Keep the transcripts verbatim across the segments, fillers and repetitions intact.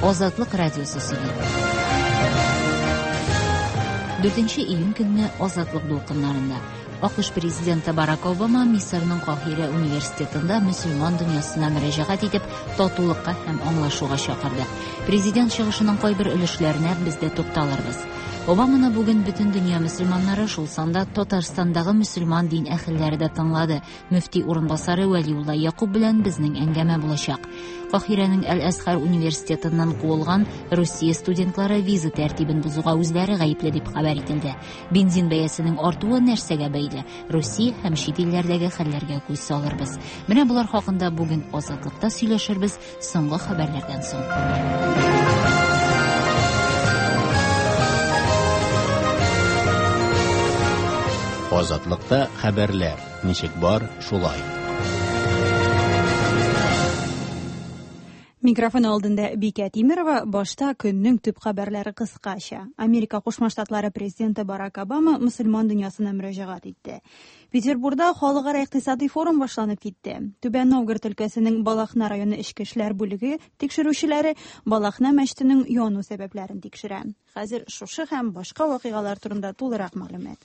Азатлык радиосы сөйли. Дүртенче июнь көнне Азатлык дулкыннарында А К Ш президенты Барак Обама Мисырның Каһирә университетында мөселман дөньясына мөрәҗәгать итеп, татулыкка һәм аңлашуга чакырды. Президент чыгышының кайбер өлешләренә без дә тукталырбыз. Обаманы бүген бөтен дөнья мөселманнары, шул санда Татарстандагы мөселман дин әһелләре дә тыңлады. Мөфти урынбасары Вәлиулла Якуб белән безнең әңгәмә булачак. Каһирәнең Әл-Әзһар университетыннан куылган Русия студентлары виза тәртибен бозуга үзләре гаепле дип хәбәр ителде. Бензин бәясенең артуы нәрсәгә бәйле? Русия һәм чит илләрдәге хәлләргә күз салырбыз. Менә болар хакында бүген Азатлыкта сөйләшербез соңгы хәбәрләрдән соң. Азатлыкта хәбәрләр ничек бар, шулай. Микрофон алдында Бикә Тимирова. Башта көннең төп хәбәрләре кыскача. Америка Кушма Штатлары президенты Барак Обама мөселман дөньясына мөрәҗәгать итте. Петербургда халыкара икътисади форум башланып китте. Түбән Новгород өлкәсенең Балахна районы эчке эшләр бүлеге тикшерүчеләре Балахна мәчетенең яну сәбәпләрен тикшерә. Хәзер шушы һәм башка вакыйгалар турында тулырак мәгълүмат.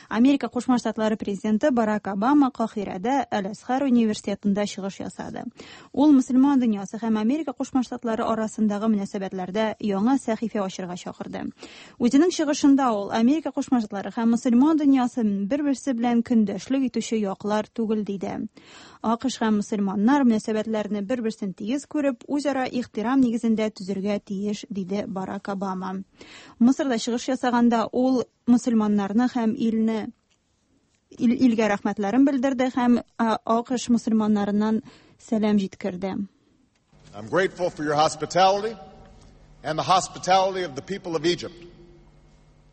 Америка Кушма Штатлары президенты Барак Обама Каһирәдә Әл-Әзһар университетында чыгыш ясады. Ул мөселман дөньясы һәм Америка Кушма Штатлары арасындагы мөнәсәбәтләрдә яңа сәхифә ачырга чакырды. Үзенең чыгышында ул Америка Кушма Штатлары һәм мөселман дөньясы бер-берсе белән көндәшлек итүче яклар түгел диде. А К Ш һәм мөселманнар мөнәсәбәтләрне бер-берсен тигез күреп, үзара ихтирам нигезендә төзергә тиеш, диде Барак Обама. Мисырда чыгыш ясаганда ул мөселманнарны һәм илне ил, илгә рәхмәтләрен белдерде һәм А К Ш мөселманнарыннан сәлам җиткерде. I'm grateful for your hospitality and the hospitality of the people of Egypt.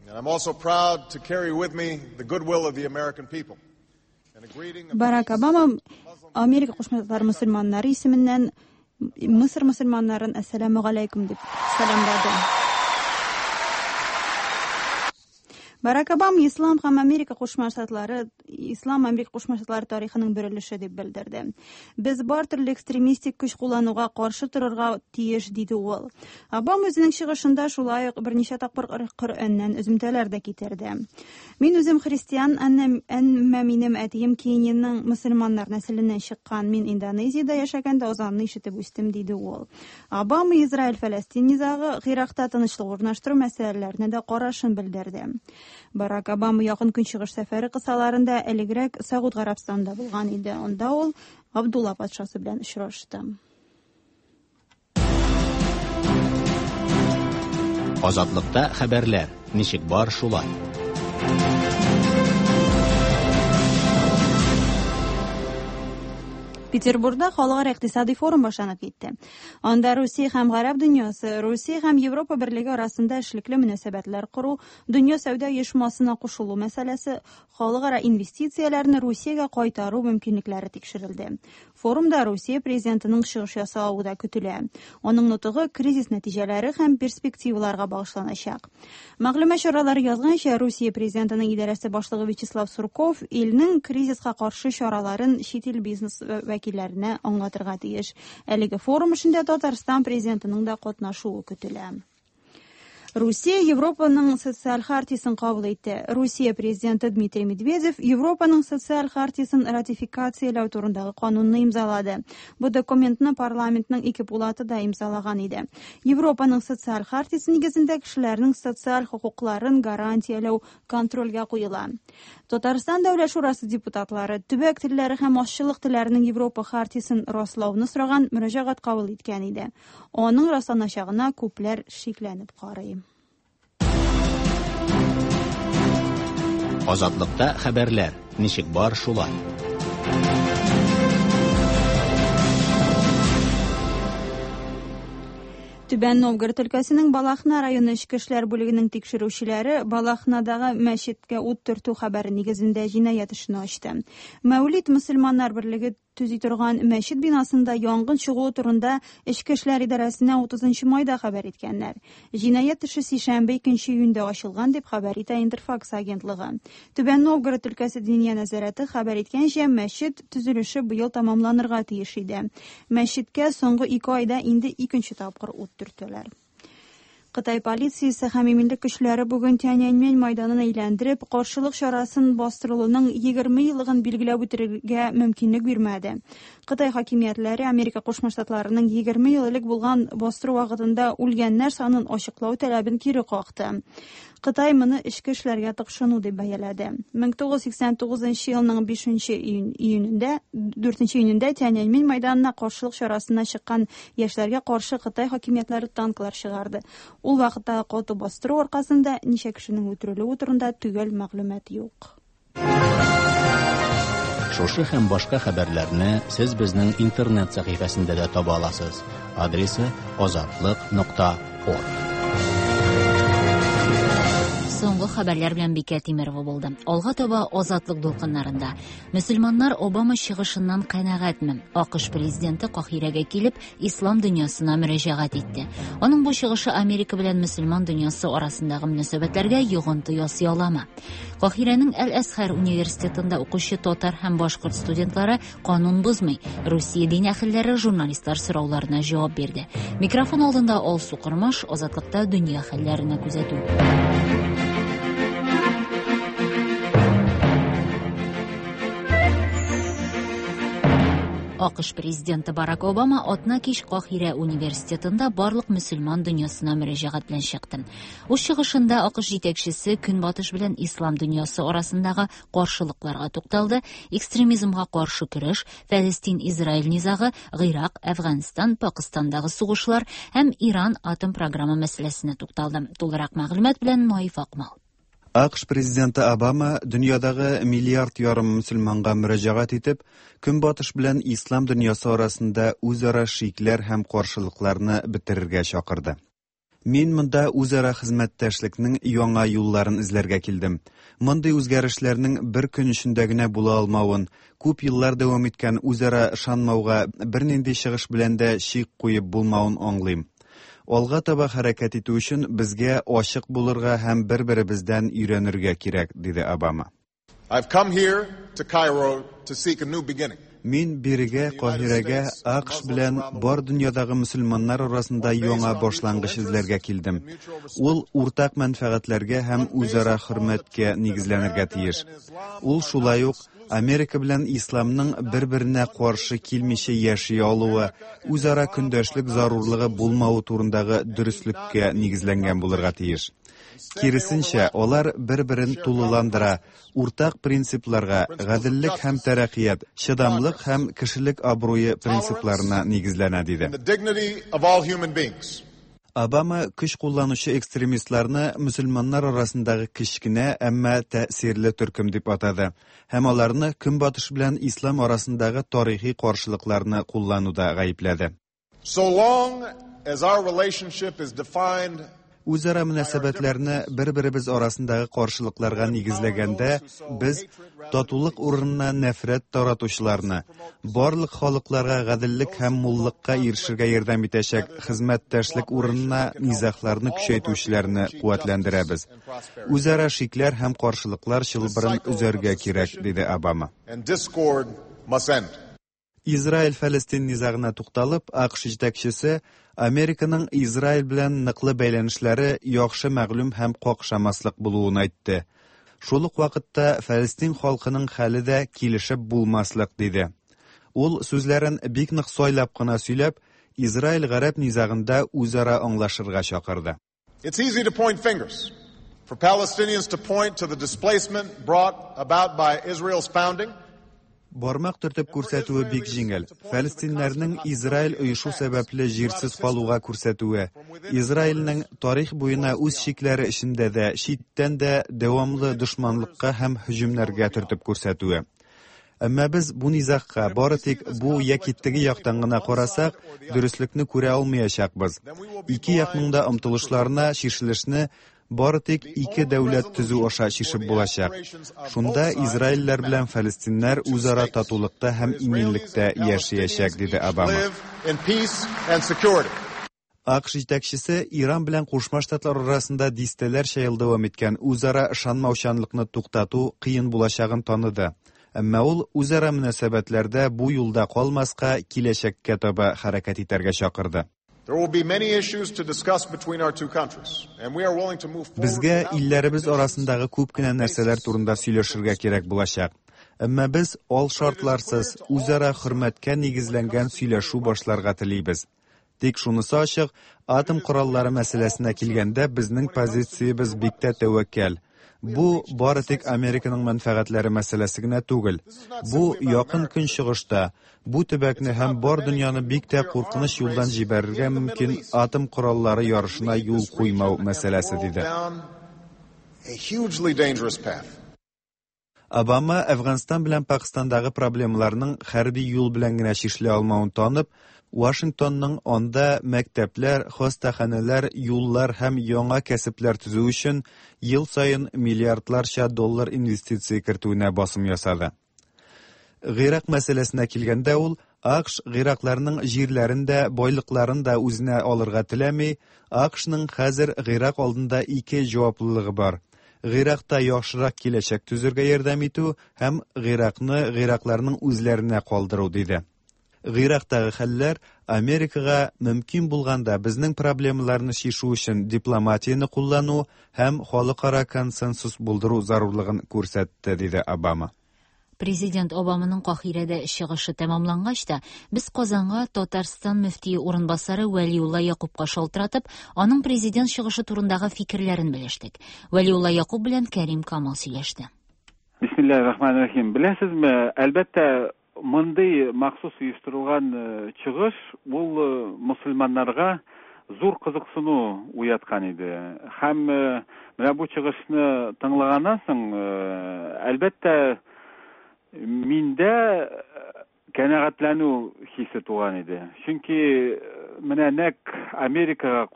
And I'm also proud to carry with me the goodwill of the American people. Барак Обама Америка Кушма Штатлары мөселманнары исеменнән Мисыр мөселманнарын әссәламү галәйкүм дип сәламләде. Барак Обама Ислам һәм Америка Кушма Штатлары Ислам Америка Кушма Штатлары тарихының бер өлеше дип белдерде. Без бар төрле экстремистик көч куллануга каршы торырга тиеш, диде ул. Обама үзенең чыгышында шулай ук берничә тапкыр Коръәннән өземтәләр дә китерде. Мин үзем христиан, әмма минем әтием Кениянең мөселманнар нәселеннән чыккан. Мин Индонезиядә яшәгәндә азанны ишетеп үстем, диде ул. Обама Израиль-Фәләстин низагы, Гыйракта тынычлык урнаштыру мәсьәләләренә дә карашын белдерде. Барак Обама якын көнчыгыш сәфәре кысаларында элегрәк Сауд Гарәбстанында булган иде. Анда ул Абдулла патшасы белән очрашты. Азатлыкта хәбәрләр ничек бар, шулай. Петербургда халыкара икътисади форум башланып китте. Анда Русия һәм Гарәп дөньясы, Русия һәм Европа берлеге арасында эшлекле мөнәсәбәтләр кору, дөнья сәүдә оешмасына кушылу мәсьәләсе, халыкара инвестицияләрне Русиягә кайтару мөмкинлекләре тикшерелде. Форумда Русия президентының чыгыш ясавы да көтелә. Аның нотыгы кризис нәтиҗәләре һәм перспективаларга багышланачак. Мәгълүмат чаралары язганча, Русия президентының идарәсе башлыгы Вячеслав Сурков илнең кризиска каршы чараларын чит ил бизнес вәкилләренә аңлатырга тиеш. Әлеге форум эшендә Татарстан президентының да катнашуы көтелә. Русия Европаның социаль хартиясен кабул итте. Русия президенты Дмитрий Медведев Европаның социаль хартиясен ратификацияләү турындагы канунны имзалады. Бу документны парламентның ике пулаты да имзалаган иде. Европаның социаль хартиясе нигезендә кешеләрнең социаль хокукларын гарантияләү контрольгә куела. Татарстан Дәүләт Шурасы депутатлары төбәк телләре һәм азчылык телләренең Европа хартиясен раслауны сораган мөрәҗәгать кабул иткән иде. Аның расланачагына күпләр шикләнеп карый. Азатлыкта хәбәрләр ничек бар, шулай. Түбән Новгород өлкәсенең Балахна районы эчке эшләр бүлегенең тикшерүчеләре Балахнадагы мәчеткә ут төртү хәбәре нигезендә җинаять эшен ачты. Мәүлид мөселманнар берлеге төзи торган мәчет бинасында янгын чыгуы турында Эчке эшләр идарәсенә утызынчы майда хәбәр иткәннәр. Җинаять эше сишәмбе икенче июньдә ачылган дип хәбәр итә Интерфакс агентлыгы. Түбән Новгород өлкәсе Диния нәзарәте хәбәр иткәнчә, мәчет төзелеше быел тәмамланырга тиеш иде. Мәчеткә соңгы ике айда инде икенче тапкыр ут төрттеләр. Кытай полициясе һәм иминлек көчләре бүген Тяньаньмэнь майданын әйләндереп, каршылык чарасын бастырылуның егерме еллыгын билгеләп үтәргә мөмкинлек бирмәде. Кытай хакимиятләре Америка Кушма Штатларының егерме ел элек булган бастыру вакытында үлгәннәр санын ачыклау таләбен кире какты. Кытай моны эчке эшләргә тыкшыну дип бәяләде. мең тугыз йөз сиксән тугызынчы елның бишенче июнендә, дүртенче июнендә Тяньаньмэнь майданына каршылык чарасына чыккан яшьләргә каршы Кытай хакимиятләре танклар чыгарды. Ул вакытта каты бастыру аркасында ничә кешенең үтерелүе турында төгәл мәгълүмат юк. Шушы һәм башка хәбәрләрне сез безнең интернет сәхифәсендә дә таба аласыз. Адресы азатлык нокта орг. Соңгы хәбәрләр белән Бикә Тимерова булды. Алга таба Азатлык дулкыннарында. Мөселманнар Обама чыгышыннан канәгатьме? АКШ президенты Каһирәгә килеп, ислам дөньясына мөрәҗәгать итте. Аның бу чыгышы Америка белән мөселман дөньясы арасындагы мөнәсәбәтләргә йогынты ясый аламы? Каһирәнең Әл-Әзһәр университетында укучы татар һәм башкорт студентлары канун бозмый. Русия дин әһелләре журналистлар сорауларына җавап бирде. Микрофон алдында Алсу Кормаш, Азатлыкта дөнья хәлләренә күзәтү. АКШ президенты Барак Обама атна кич Каһирә университетында барлык мөселман дөньясына мөрәҗәгать белән чыкты. Үз чыгышында АКШ җитәкчесе Көнбатыш белән ислам дөньясы арасындагы каршылыкларга тукталды, экстремизмга каршы көрәш, Фәлестин-Израиль низагы, Гыйрак, Әфганстан, Пакистандагы сугышлар һәм Иран атом программа мәсьәләсенә тукталды. Тулырак мәгълүмат белән Наиф Акмал. АКШ президенты Обама дөньядагы миллиард ярым мөселманга мөрәҗәгать итеп, Көнбатыш белән ислам дөньясы арасында үзара шикләр һәм каршылыкларны бетерергә чакырды. Мин монда үзара хезмәттәшлекнең яңа юлларын эзләргә килдем. Мондый үзгәрешләрнең бер көн эчендә генә була алмавын, күп еллар дәвам иткән үзара ышанмауга бернинди чыгыш белән дә чик куеп булмавын аңлыйм. Алга таба хәрәкәт итү өчен безгә ачык булырга һәм бер-беребездән өйрәнергә кирәк, диде Обама. I've come here to Cairo to seek a new beginning. Мин бирегә Каһирәгә АКШ белән бар дөньядагы мөселманнар арасында яңа башлангыч эзләргә килдем. Ул уртак мәнфәгатьләргә һәм үзара хөрмәткә нигезләнергә тиеш. Ул шулай ук Америка белән исламның бер-беренә каршы килмичә яши алуы, үзара көндәшлек зарурлыгы булмавы турындагы дөреслеккә нигезләнгән булырга тиеш. Киресенчә, алар бер-берен тулыландыра, уртак принципларга, гаделлек һәм тәрәккыят, чыдамлык һәм кешелек абруе принципларына нигезләнә, диде. The dignity of all human beings. Обама көч кулланучы экстремистларны мөселманнар арасындагы кечкенә, әмма тәэсирле төркем дип атады һәм аларны Көнбатыш белән ислам арасындагы тарихи каршылыкларны куллануда гаепләде. So long as our relationship is defined Үзара мөнәсәбәтләрне бер-беребез арасындагы каршылыкларга нигезләгәндә, без татулык урынына нәфрәт таратучыларны, барлык халыкларга гаделлек һәм муллыкка ирешергә ярдәм итәчәк хезмәттәшлек урынына низагларны көчәйтүчеләрне куәтләндерәбез. Үзара шикләр һәм каршылыклар чылбырын өзәргә кирәк, диде Обама. And discord must end. Израиль-Фәлестин низагына тукталып, АКШ җитәкчесе Американың Израиль белән ныклы бәйләнешләре яхшы мәгълүм һәм какшамаслык булуын әйтте. Шул ук вакытта Фәлестин халкының хәле дә килешеп булмаслык, диде. Ул сүзләрен бик нык сайлап кына сөйләп, Израиль-Гарәп низагында үзара аңлашырга чакырды. It's easy to point fingers. For Palestinians to point to the displacement brought about by Israel's founding. Бармак төртеп күрсәтүе бик җиңел. Фәлестиннәрнең Израиль оешу сәбәпле җирсез калуга күрсәтүе, Израильнең тарих буена үз чикләре эчендә дә, читтән дә дәвамлы дошманлыкка һәм һөҗүмнәргә төртеп күрсәтүе. Әмма без бу низагка бары тик бу яки теге яктан гына карасак, дөреслекне күрә алмаячакбыз. Ике якның да омтылышларына чишелешне бары тик ике дәүләт төзү аша чишеп булачак. Шунда израильләр белән фәлестиннәр үзара татулыкта һәм иминлектә яшәячәк, диде Обама. АКШ җитәкчесе Иран белән Кушма Штатлар арасында дистәләрчә ел дәвам иткән үзара ышанмаучанлыкны туктату кыен булачагын таныды. Әмма ул үзара мөнәсәбәтләрдә бу юлда калмаска, киләчәккә таба хәрәкәт итәргә чакырды. Безгә илләребез арасындагы күп кенә нәрсәләр турында сөйләшергә кирәк булачак. Әмма без ал шартларсыз үзара хөрмәткә нигезләнгән сөйләшү башларга телибез. Тик шунысы ачык, атом кораллары мәсьәләсенә килгәндә безнең позициябез бик тә тәвәккәл. Бу бары тик Американың мәнфәгатьләре мәсьәләсе генә түгел. Бу якын көнчыгышта бу төбәкне һәм бар дөньяны бик тә куркыныч юлдан җибәрергә мөмкин атом кораллары ярышына юл куймау мәсьәләсе, диде. Обама Әфганстан белән Пакистандагы проблемаларның хәрби юл белән генә чишелә алмавын танып, Вашингтонның анда мәктәпләр, хастаханәләр, юллар һәм яңа кәсепләр төзү өчен ел саен миллиардларча доллар инвестиция кертүенә басым ясады. Гыйрак мәсьәләсенә килгәндә, ул АКШ гыйракларның җирләрен дә, байлыкларын да үзенә алырга теләми. АКШның хәзер Гыйрак алдында ике җаваплылыгы бар. Гыйракта яхшырак киләчәк төзергә ярдәм итү һәм Гыйракны гыйракларның үзләренә калдыру, диде. Гыйрактагы хәлләр Америкага мөмкин булганда безнең проблемаларны чишү өчен дипломатияне куллану һәм халыкара консенсус булдыру зарурлыгын күрсәтте, диде Обама. Президент Обаманың Каһирәдә чыгышы тәмамлангач та, без Казанга Татарстан мөфтие урынбасары Вәлиулла Якупка шалтыратып, аның президент чыгышы турындагы фикерләрен белештек. Вәлиулла Якуп белән Кәрим Камал сөйләште. Бисмиллаһир-рахманир-рахим. Беләсезме, әлбәттә, мондый махсус оештырылган чыгыш ул мусульманнарга зур кызыксыну уяткан иде. Һәм менә бу чыгышны тыңлаганнан соң, әлбәттә, миндә канәгатьләнү хисе туган иде. Чөнки менә нәкъ Америкага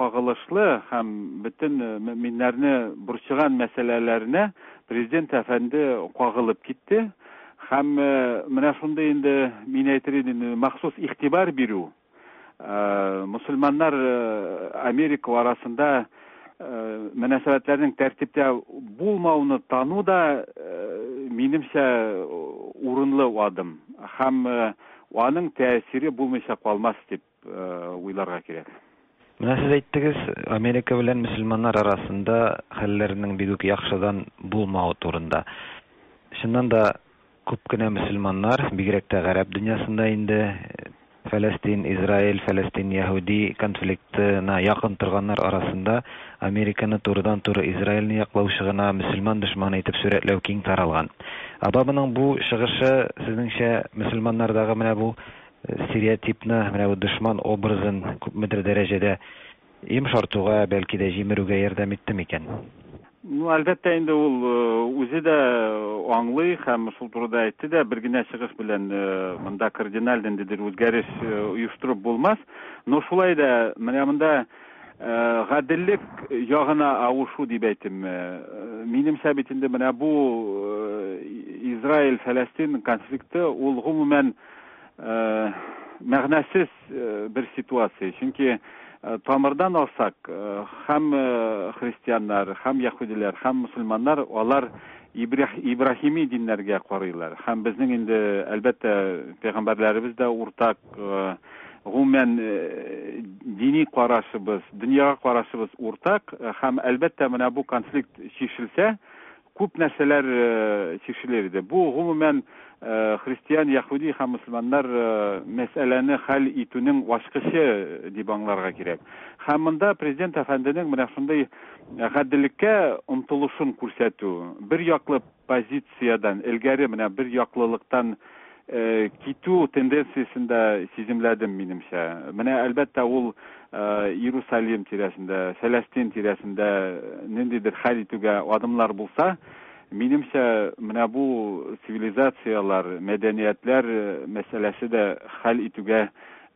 кагылышлы һәм бөтен мөэминнәрне борчыган мәсьәләләренә президент әфәнде кагылып китте. Һәм менә шундый инде мин әйтер идем, махсус игътибар бирү, мусульманнар Америка арасында мөнәсәбәтләрнең тәртиптә булмауны тану да минемчә урынлы адым. Һәм аның тәэсире булмыйча калмас дип уйларга кирәк. Менә сез әйттегез, Америка белән мөселманнар арасында хәлләрнең бик үк яхшыдан булмавы турында. Чыннан да күп кенә мөселманнар, бигрәк тә гарәп дөньясында инде Фәләстин, Израиль, Фәләстин, Яһүди конфликтына якын торганнар арасында Американы турыдан-туры Израильне яклаучы гына мөселман дошманы итеп сурәтләү киң таралган. Обаманың бу чыгышы сезнеңчә мөселманнардагы менә бу стереотипны, менә бу дошман образын күпмедер дәрәҗәдә йомшартуга, бәлки дә җимерүгә ярдәм итте микән? Ну, әлбәттә инде ул үзе дә аңлый һәм шул турыда әйтте дә, бер генә чыгыш белән монда кардиналь ниндидер үзгәреш оештырып булмас. Но шулай да менә монда гаделлек ягына авышу дип әйтим. Минемчә бит инде менә бу Израиль-Фәләстин конфликты ул гомумән мәгънәсез бер ситуация. Чөнки тамырдан алсак, һәм христианнар, һәм яһүдиләр, һәм мусульманнар алар Ибраһими диннәргә карыйлар. Һәм безнең инде әлбәттә пәйгамбәрләребез дә уртак, гомумән дини карашыбыз, дөньяга карашыбыз уртак. Һәм әлбәттә менә бу конфликт чишелсә, күп нәрсәләр чишелер иде. Бу гомумән христиан, яһүди һәм мусульманнар мәсьәләне хәл итүнең ачкычы дип аңларга кирәк. Һәм монда президент әфәнденең менә шундый гаделлеккә омтылышын күрсәтү, бер яклы позициядән элгәре менә бер яклылыктан китү тенденциясен дә сиземләдем минемчә. Менә әлбәттә ул Иерусалим тирәсендә, Фәләстин тирәсендә ниндидер хәл итүгә адымлар булса, минемчә менә бу цивилизациялар, мәдәниятләр мәсьәләсе дә хәл итүгә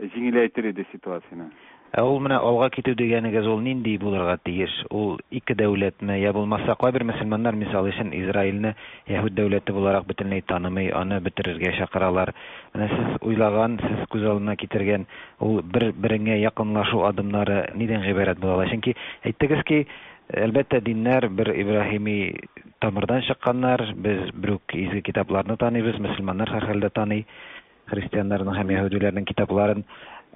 җиңеләйтер иде ситуацияне. Ә ул менә алга китү дигәнегез ул нинди булырга тиеш? Ул ике дәүләтме, я булмаса кайбер мөселманнар, мисал өчен, Израильне яһүд дәүләте буларак бөтенләй танымый, аны бетерергә чакыралар. Менә сез уйлаган, сез күз алдына китергән ул бер-береңә якынлашу адымнары нидән гыйбарәт була ала? Чөнки әйттегез ки, әлбәттә, диннәр бер Ибраһими тамырдан чыкканнар, без бер үк изге китапларны таныйбыз, мөселманнар һәрхәлдә таный христианнарның һәм яһүдиләрнең китапларын.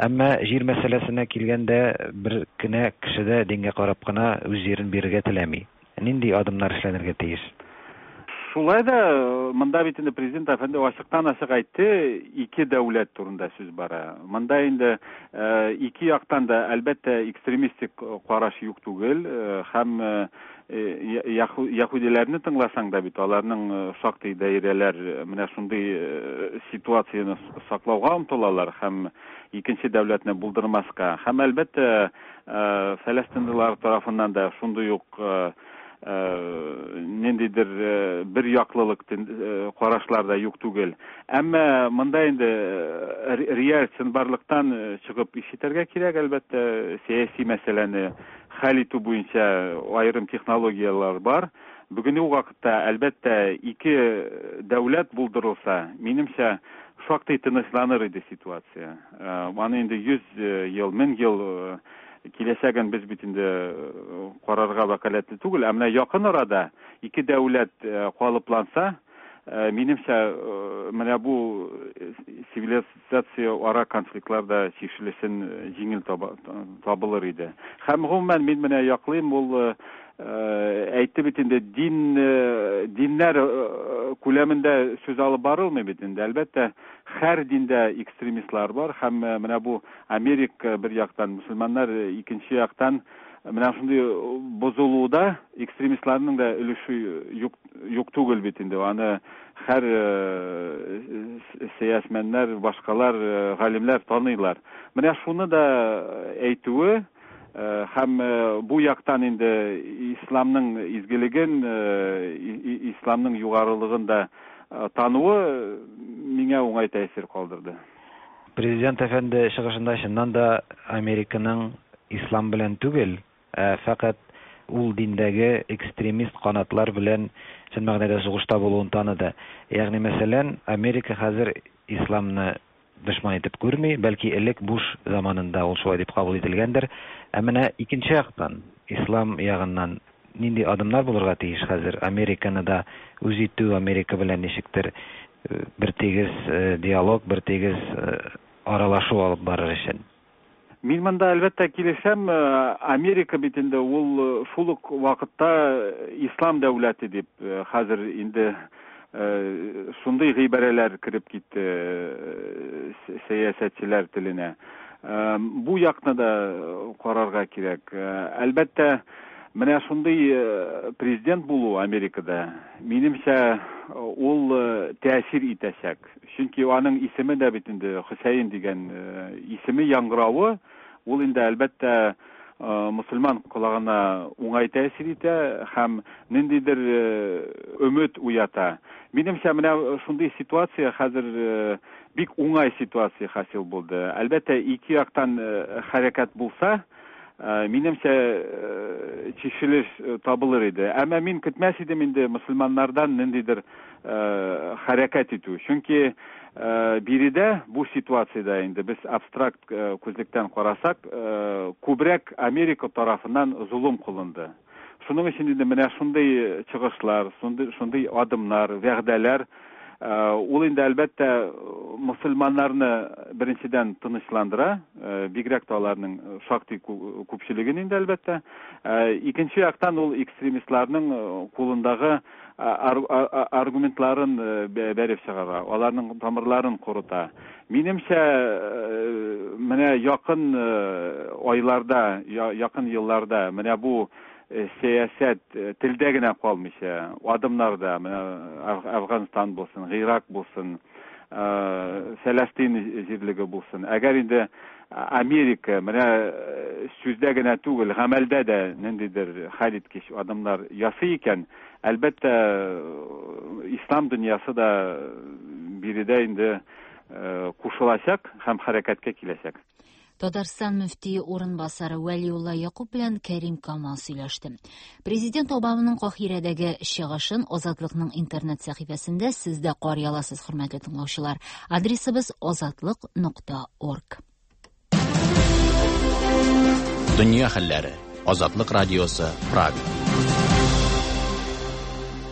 Әмма җир мәсьәләсенә килгәндә бер кенә кеше дә дингә карап кына үз җирен бирергә теләми. Нинди адымнар эшләнергә тиеш? Шулай да монда бит инде президент әфәнде ачыктан-ачык әйтте, ике дәүләт турында сүз бара. Монда инде ике яктан да әлбәттә экстремистик караш юк түгел, һәм яһүдиләрне тыңласаң да бит аларның шактый даирәләр менә шундый ситуацияне саклауга омтылалар һәм икенче дәүләтне булдырмаска. Һәм әлбәттә фәләстинлылар тарафыннан да шундый ук ниндидер бер яклылык карашлар да юк түгел. Әмма монда инде реаль чынбарлыктан чыгып эш итәргә кирәк, әлбәттә, сәяси мәсьәләне хәл итү буенча аерым технологияләр бар. Бүгенге вакытта, әлбәттә, ике дәүләт булдырылса, минемчә, шактый тынычланыр иде ситуация. Аны инде йөз ел, мең ел киләчәген без бит инде карарга вәкаләтле түгел, ә менә якын арада ике дәүләт калыпланса, минемчә, менә бу цивилизация ара конфликтлар да чишелешен җиңел табылыр иде. Һәм гомумән мин менә яклыйм, ул әйтте бит инде, дин диннәр күләмендә сүз алып барылмый бит инде. Әлбәттә, һәр диндә экстремистлар бар, һәм менә бу Америка бер яктан, мөселманнар икенче яктан, менә шундый бозылуда экстремистларның да өлеше юк, юк түгел бит инде. Аны һәр сәясәтмәннәр, башкалар, галимнәр таныйлар. Менә шуны да әйтүе һәм бу яктан инде исламның изгелеген, исламның югарылыгын да тануы миңа уңай тәэсир калдырды. Президент әфәнде чыгышында чыннан да Американың ислам белән түгел, ә фәкать ул диндәге экстремист канатлар белән чын мәгънәдә сугышта булуын таныды. Ягъни, мәсәлән, Америка хәзер исламны дошман итеп күрми, бәлки элек Буш заманында ул шулай дип кабул ителгәндер. Ә менә икенче яктан, ислам ягыннан нинди адымнар булырга тиеш хәзер? Американы да үз итү, Америка белән ничектер бер тигез диалог, бер тигез аралашу алып барыр өчен. Мин монда әлбәттә килешәм, Америка бит инде ул шул ук вакытта ислам дәүләте дип хәзер инде шундый гыйбарәләр кереп китте сәясәтчеләр теленә. Бу якны да карарга кирәк. Әлбәттә, менә шундый президент булу Америкада, минемчә, ул тәэсир итәчәк. Чөнки аның исеме дә бит инде Хөсәен дигән исеме яңгыравы, ул инде әлбәттә мөселман колагына уңай тәэсир итә һәм ниндидер өмет уята. Минемчә, менә шундый ситуация хәзер бик уңай ситуация хасил булды. Әлбәттә, ике яктан хәрәкәт булса, минемчә, чишелеш табылыр иде. Әмма мин көтмәс идем инде мөселманнардан ниндидер хәрәкәт итү. Чөнки биредә бу ситуациядә инде без абстракт күзлектән карасак, күбрәк Америка тарафыннан золым кылынды. Шуның өчен инде менә шундый чыгышлар, шундый, шундый адымнар, вәгъдәләр, ул инде әлбәттә мөселманнарны беренчедән тынычландыра, бигрәк тә аларның шактый күпчелеген инде әлбәттә. Икенче яктан ул экстремистларның кулындагы аргументларын бәреп чыгара, аларның тамырларын корыта. Минемчә, менә якын айларда, якын елларда менә бу сәясәт телдә генә калмыйча, адымнарда, менә Афганстан булсын, Ирак булсын, Фәләстин җирлеге булсын. Әгәр инде Америка менә сүздә генә түгел, гамәлдә дә ниндидер хәлиткеч адымнар ясый икән, әлбәттә, ислам дөньясы да биредә инде кушылачак һәм хәрәкәткә киләчәк. Татарстан мөфтие урынбасары Вәлиулла Якуб белән Кәрим Камал сөйләште. Президент Обаманың Каһирәдәге чыгышын Азатлыкның интернет сәхифәсендә сез дә карый аласыз, хөрмәтле тыңлаучылар. Адресыбыз азатлык нокта орг. Дөнья хәлләре. Азатлык радиосы, Прага.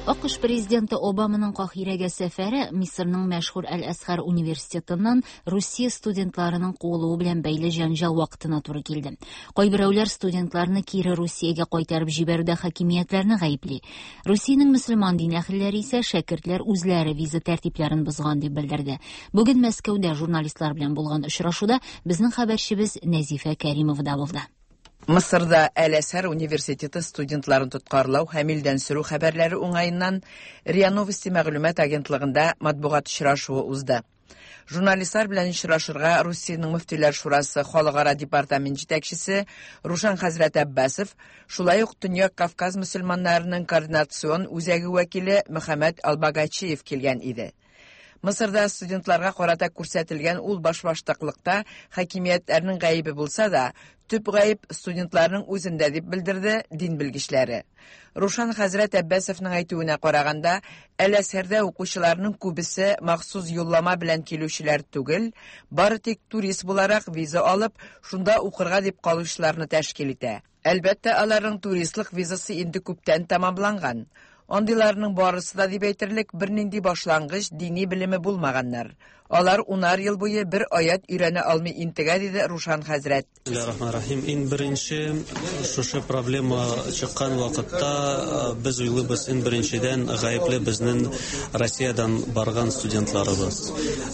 АКШ президенты Обаманың Каһирәгә сәфәре Мисырның мәшһүр Әл-Әзһәр университетыннан Русия студентларының куылуы белән бәйле җәнҗал вакытына туры килде. Кайберәүләр студентларны кире Русиягә кайтарып җибәрүдә хакимиятләрне гаепли. Русиянең мөселман дин әһелләре исә шәкертләр үзләре виза тәртипләрен бозган дип белдерде. Бүген Мәскәүдә журналистлар белән булган очрашуда безнең хәбәрчебез Нәзифә Кәримова да булды. Мысырда Әл-Әзһәр университеты студентларын тоткарлау һәм илдән сөрү хәбәрләре уңаеннан РИА Новости мәгълүмат агентлыгында матбугат очрашуы узды. Журналистлар белән очрашырга Русиянең Мөфтиләр шурасы халыкара департамент җитәкчесе Рушан хәзрәт Аббасов, шулай ук Төньяк Кавказ мөселманнарының координацион үзәге вәкиле Мөхәммәд Албагачиев килгән иде. Мысырда студентларга карата күрсәтелгән ул башбаштаклыкта хакимиятләрнең гаебе булса да, төп гаеп студентларның үзендә дип белдерде дин белгечләре. Рушан хәзрәт Аббасовның әйтүенә караганда, Әл-Әзһәрдә укучыларның күбесе махсус юллама белән килүчеләр түгел, бары тик турист буларак виза алып, шунда укырга дип калучыларны тәшкил итә. Әлбәттә, аларның туристлык визасы инде күптән тәмамланган. Андыйларның барысы да дип әйтерлек бернинди башлангыч дини белеме булмаганнар. Алар унар ел буе бер аят өйрәнә алмый интегә, диде Рушан хәзрәт. Бисмиллахир-рахманир-рахим. Иң беренче шушы проблема чыккан вакытта без уйлыйбыз, иң беренчедән гаепле безнең Россиядән барган студентларыбыз.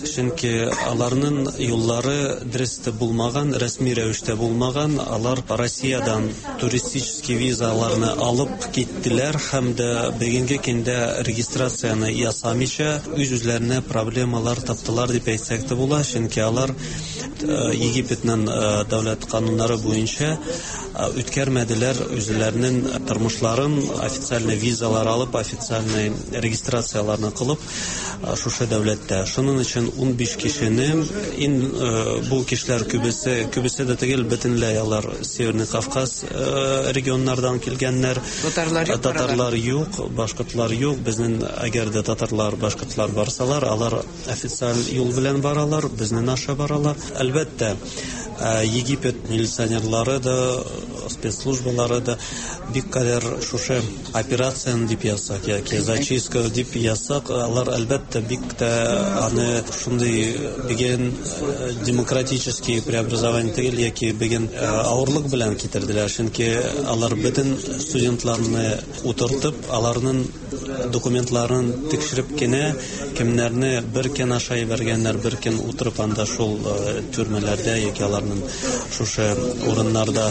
Чөнки аларның юллары дөрес булмаган, рәсми рәвештә булмаган. Алар Россиядән туристический визаларны алып киттеләр һәм дә бүгенге көндә регистрацияне ясамыйча үз-үзләренә проблемалар таптылар дип әйтсәк тә була, чөнки алар Египетның дәүләт кануннары буенча үткәрмәделәр үзләренең тормышларын, официальный визалар алып, официальный регистрацияларны кылып шушы дәүләттә. Шуның өчен ун биш кешене, ин бу кешеләр күбесе, күбесе дә түгел, бөтенләй алар Северный Кавказ регионнардан килгәннәр. Татарлар юк, татарлар юк, башкортлар юк. Безнең әгәр дә татарлар, башкортлар барсалар, алар официаль юл белән баралар, безнең аша баралар. Әлбәттә, Египет милиционерлары да, спецслужбалары да бик кадәр шушы операцияны дип язсак яки зачистка дип язсак, алар әлбәттә бик тә аны шундый бүген демократический преобразование түгел яки бүген авырлык белән китерделәр, чөнки алар бөтен студентларны утыртып, аларның документларын тикшереп кенә кемнәрне бер көн аша җибәргәннәр, бер көн утырып анда шул төрмәләрдә яки аларның шушы урыннарда.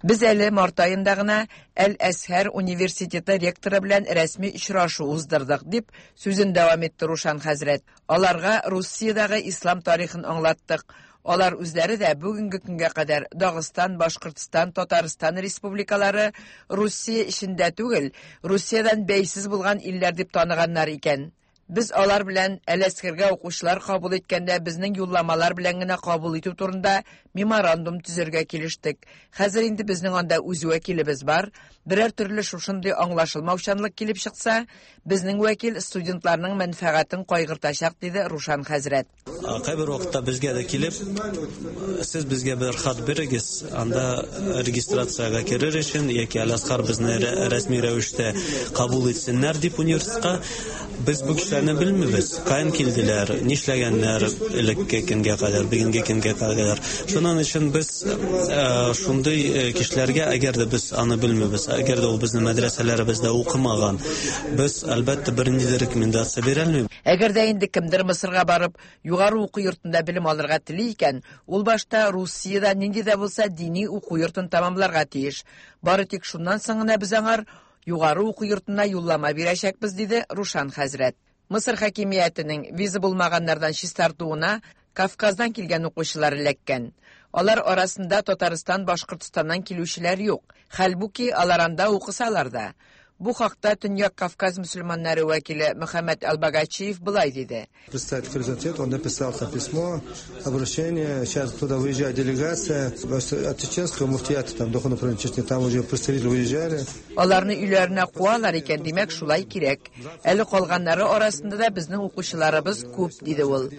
Без әле март аенда гына Әл-Әзһәр университеты ректоры белән рәсми очрашу уздырдык, дип сүзен дәвам итте Рушан хәзрәт. Аларга Русиядәге ислам тарихын аңлаттык. Алар үзләре дә бүгенге көнгә кадәр Дагыстан, Башкортстан, Татарстан республикалары Русия эчендә түгел, Русиядән бәйсез булган илләр дип таныганнар икән. Без алар белән Әл-Әзһәргә укучылар кабул иткәндә безнең юлламалар белән генә кабул итү турында меморандум төзергә килештек. Хәзер инде безнең анда үз вәкилебез бар. Берәр төрле шушындый аңлашылмаучанлык килеп чыкса, безнең вәкил студентларның мәнфәгатен кайгыртачак, диде Рушан хәзрәт. Кайбер вакытта безгә дә килеп, сез безгә бер хат бирегез, анда регистрациягә керер өчен яки Әл-Әзһәр безне рәсми рәвештә кабул итсеннәр дип университетка. Без бу кешеләрне белмибез, каян килделәр, нишләгәннәр элекке көнгә кадәр, бүгенге көнгә кадәр. Шуның өчен без шундый кешеләргә, әгәр дә без аны белмибез, әгәр дә ул безнең мәдрәсәләребездә укымаган, без әлбәттә бернинди дә рекомендация бирә алмыйбыз. Әгәр дә инде кемдер Мысырга барып, югары уку йортында белем алырга тели икән, ул башта Русиядә нинди дә булса дини уку йортын тәмамларга тиеш. Бары тик шуннан соң гына без аңар югары уку йортына юллама бирәчәкбез, диде Рушан хәзрәт. Мысыр хакимиятенең виза булмаганнардан чистартуына Кавказдан килгән укучылар эләккән. Алар арасында Татарстан, Башкортстаннан килүчеләр юк. Хәлбуки алар анда укысалар да. Бу хакта Төньяк Кавказ мөселманнары вәкиле Мөхәммәд Албагачиев былай диде. Представитель президента, он написал там письмо, обращение. Сейчас туда выезжает делегация от чеченского муфтията, там духовного управления Чечни, там уже представители выезжали. Аларны өйләренә куалар икән, димәк, шулай кирәк. Әле калганнары арасында да безнең укучыларыбыз күп, диде ул.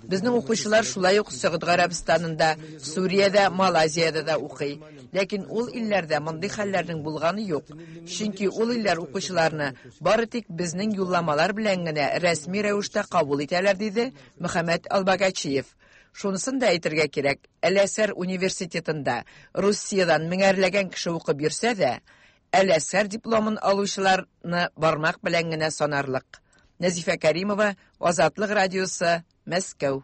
Безнең укучылар шулай ук Сәгуд Гарәбстанында, Сүриядә, Малайзиядә дә укый. Ләкин ул илләрдә мондый хәлләрнең булганы юк. Чөнки ул илләр укучыларны бары тик безнең юлламалар белән генә рәсми рәвештә кабул итәләр, диде Мөхәммәд Албагачиев. Шунысын да әйтергә кирәк, Әл-Әзһәр университетында Русиядән меңәрләгән кеше укып йөрсә дә, Әл-Әзһәр дипломын алучыларны бармак белән генә санарлык. Нәзифә Кәримова, Азатлык радиосы, Мәскәү.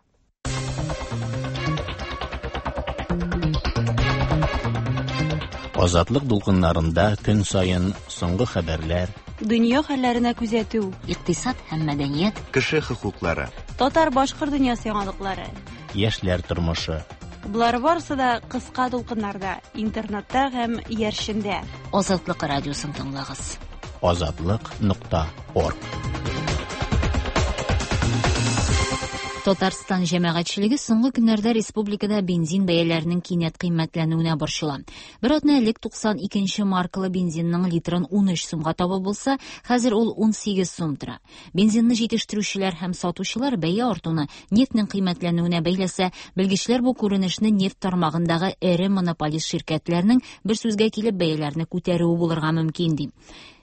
Азатлык дулкыннарында көн саен соңгы хәбәрләр, дөнья хәлләренә күзәтү, икътисад һәм мәдәният, кеше хокуклары, татар-башкорт дөньясы яңалыклары, яшьләр тормышы. Болар барысы да кыска дулкыннарда, интернетта һәм иярчендә. Азатлык радиосын тыңлагыз. Азатлык нокта орг. Татарстан җәмәгатьчелеге соңгы көннәрдә республикада бензин бәяләренең кинәт кыйммәтләнүенә борчыла. Бер атна элек туксан икенче маркалы бензинның литрын ун өч сумга табып булса, хәзер ул ун сигез сум тора. Бензинны җитештерүчеләр һәм сатучылар бәя артуны нефтьнең кыйммәтләнүенә бәйләсә, белгечләр бу күренешне нефть тармагындагы эре монополист ширкәтләрнең бер сүзгә килеп бәяләрне күтәрүе булырга мөмкин ди.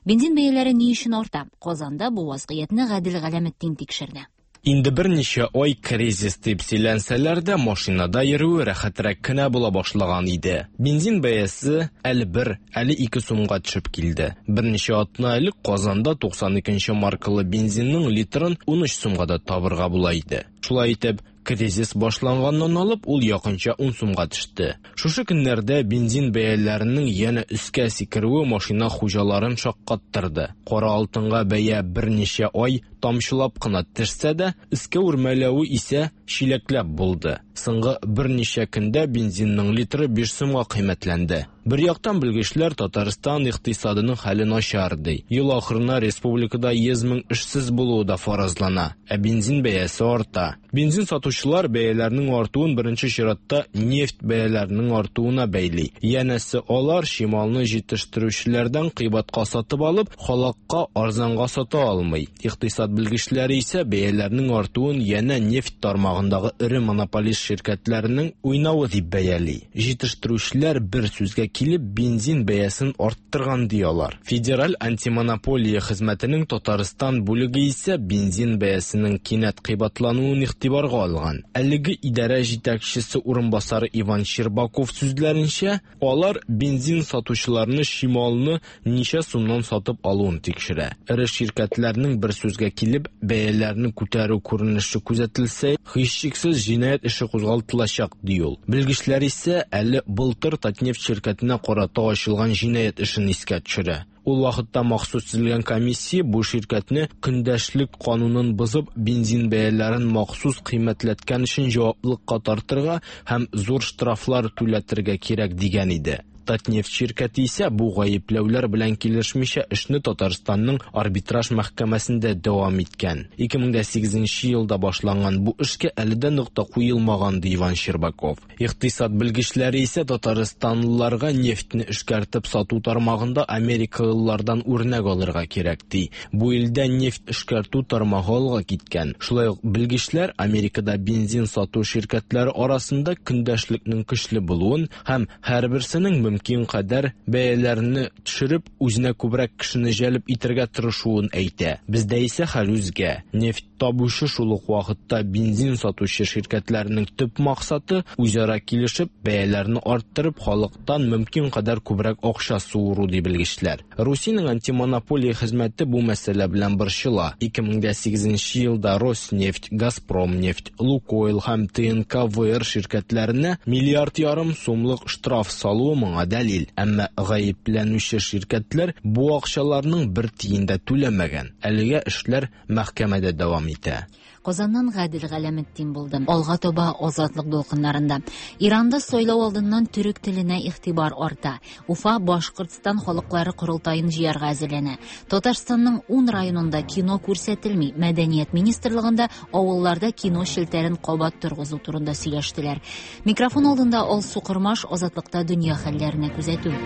Бензин бәяләре ни өчен арта? Казанда бу вазгыятьне Гадел Галәметдин тикшерде. Инде берничә ай кризис дип сөйләнсәләр дә, машинада йөрүе рәхәтрәк кенә була башлаган иде. Бензин бәясе әле бер, әле ике сумга төшеп килде. Берничә атна элек Казанда туксан икенче маркалы бензинның литрын ун өч сумга да табырга була иде. Шулай итеп, кризис башланганнан алып, ул якынча ун сумга төште. Шушы көннәрдә бензин бәяләренең янә өскә сикерүе машина хуҗаларын шаккаттырды. Кара алтынга бәя берничә ай тамчылап кына төшсә дә, өскә үрмәләве исә чиләкләп булды. Соңгы берничә көндә бензинның литры биш сумга кыйммәтләнде. Бер яктан белгечләр Татарстан икътисадының хәле начар ди. Ел ахырына республикада йөз мең эшсез булуы да фаразлана, ә бензин бәясе арта. Бензин сатучылар бәяләрнең артуын беренче чиратта нефть бәяләренең артуына бәйли. Янәсе алар чималны җитештерүчеләрдән кыйбатка сатып алып, халыкка арзанга сата алмый. Икътисад белгечләре исә бәяләрнең артуын янә нефть тармагындагы эре монополист ширкәтләренең уйнавы дип бәяли. Җитештерүчеләр бер сүзгә килеп бензин бәясен арттырган ди алар. Федераль антимонополия хезмәтенең Татарстан бүлеге исә бензин бәясенең кинәт кыйбатлануын игътибарга алган. Әлеге идарә җитәкчесе урынбасары Иван Щербаков сүзләренчә, алар бензин сатучыларны чималны ничә сумнан сатып алуын тикшерә. Эре ширкәтләрнең бер сүзгә килеп бәяләрне күтәрү күренеше күзәтелсә, һичшиксез җинаять эше кузгалтылачак ди ул. Белгечләр исә әле былтыр Татнефть ширкәтенә карата ачылган җинаять эшен искә төшерә. Ул вакытта махсус төзелгән комиссия бу ширкәтне көндәшлек канунын бозып, бензин бәяләрен махсус кыйммәтләткән өчен җаваплылыкка тартырга һәм зур штрафлар түләтергә кирәк дигән иде. Татнефть ширкәте исә бу гаепләүләр белән килешмичә эшне Татарстанның арбитраж мәхкәмәсендә дәвам иткән. ике мең сигезенче елда башланган бу эшкә әле дә нокта куелмаган ди Иван Щербаков. Икътисад белгечләре исә татарстанлыларга нефтьне эшкәртеп сату тармагында америкалылардан үрнәк алырга кирәк ди. Бу илдә нефть эшкәртү тармагы алга киткән. Шулай ук белгечләр Америкада бензин сату ширкәтләре арасында көндәшлекнең көчле булуын һәм һәрберсенең мөмкин кадәр бәяләрне төшереп, үзенә күбрәк кешене җәлеп итәргә тырышуын әйтә. Бездә исә хәл үзгә. Нефть табучы шул ук вакытта бензин сатучы ширкәтләрнең төп максаты үзара килешеп, бәяләрне арттырып, халыктан мөмкин кадәр күбрәк акча суыру ди белгечләр. Русиянең антимонополия хезмәте бу мәсьәлә белән борчыла. ике мең сигезенче елда Роснефть, Газпромнефть, Лукойл һәм Т Н К В Р ширкәтләренә миллиард ярым сумлык штраф салуы моңа дәлил. Әмма гаепләнүче ширкәтләр бу акчаларның бер тиен дә түләмәгән. Әлегә эшләр мәхкәмәдә дәвам итә. Казаннан Гадел Галәметдин булды. Алга таба Азатлык дулкыннарында. Иранда сайлау алдыннан төрек теленә игътибар арта. Уфа Башкортстан халыклары корылтаен җыярга әзерләнә. Татарстанның ун районында кино күрсәтелми. Мәдәният министрлыгында авылларда кино челтәрен кабат торгызу турында сөйләштеләр. Микрофон алдында Алсу Кормаш, Азатлыкта дөнья хәлләренә күзәтү.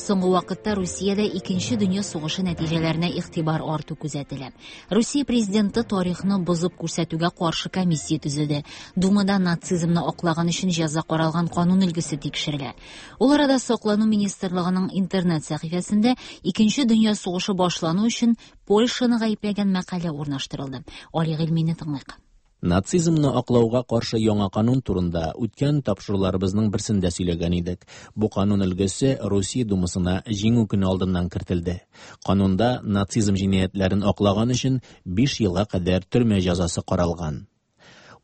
Соңгы вакытта Русиядә Икенче дөнья сугышы нәтиҗәләренә игътибар арту күзәтелә. Русия президенты тарихны бозып күрсәтүгә каршы комиссия төзеде. Думада нацизмны аклаган өчен җәза каралган канун өлгесе тикшерелә. Ул арада Саклану министрлыгының интернет сәхифәсендә Икенче дөнья сугышы башлану өчен Польшаны гаепләгән мәкалә урнаштырылды. Али Гыйльмине тыңлыйк. Нацизмны аклауга каршы яңа канун турында үткән тапшыруларыбызның берсендә сөйләгән идек. Бу канун өлгесе Русия Думасына Җиңү көне алдыннан кертелде. Канунда нацизм җинаятьләрен аклаган өчен биш елга кадәр төрмә җәзасы каралган.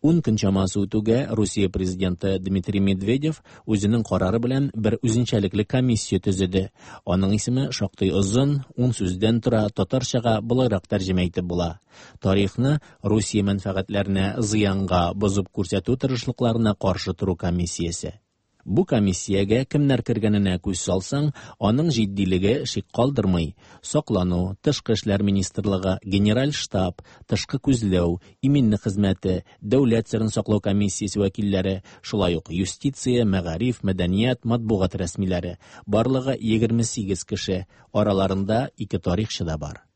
Ун көн чамасы үтүгә Русия президенты Дмитрий Медведев үзенең карары белән бер үзенчәлекле комиссия төзеде. Аның исеме шактый озын, ун сүздән тора, татарчага болайрак тәрҗемә итеп була. Тарихны Русия мәнфәгатьләренә зыянга бозып күрсәтү тырышлыкларына каршы тору комиссиясе. Бу комиссиягә кемнәр кергәненә күз салсаң, аның җитдилеге шик калдырмый. Саклану, Тышкы эшләр министрлыгы, Генераль штаб, тышкы күзләү, иминлек хезмәте, дәүләт серен саклау комиссиясе вәкилләре, шулай ук юстиция, мәгариф, мәдәният, матбугат рәсмиләре. Барлыгы егерме сигез кеше, араларында ике тарихчы да бар.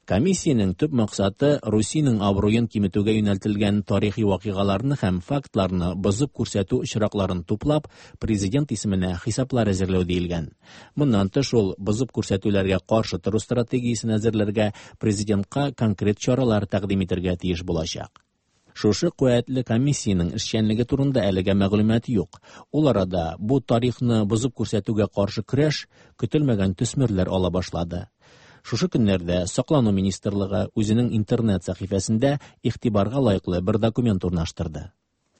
Комиссиянең төп максаты Русиянең абруен киметүгә юнәлтелгән тарихи вакыйгаларны һәм фактларны бозып күрсәтү очракларын туплап, президент исеменә хисаплар әзерләү диелгән. Моннан тыш ул бозып күрсәтүләргә каршы тору стратегиясен әзерләргә, президентка конкрет чаралар тәкъдим итәргә тиеш булачак. Шушы куәтле комиссиянең эшчәнлеге турында әлегә мәгълүмат юк. Ул арада бу тарихны бозып күрсәтүгә каршы көрәш көтелмәгән төсмерләр ала башлады. Шушы көннәрдә Саклану министрлыгы үзенең интернет сәхифәсендә игътибарга лаеклы бер документ урнаштырды.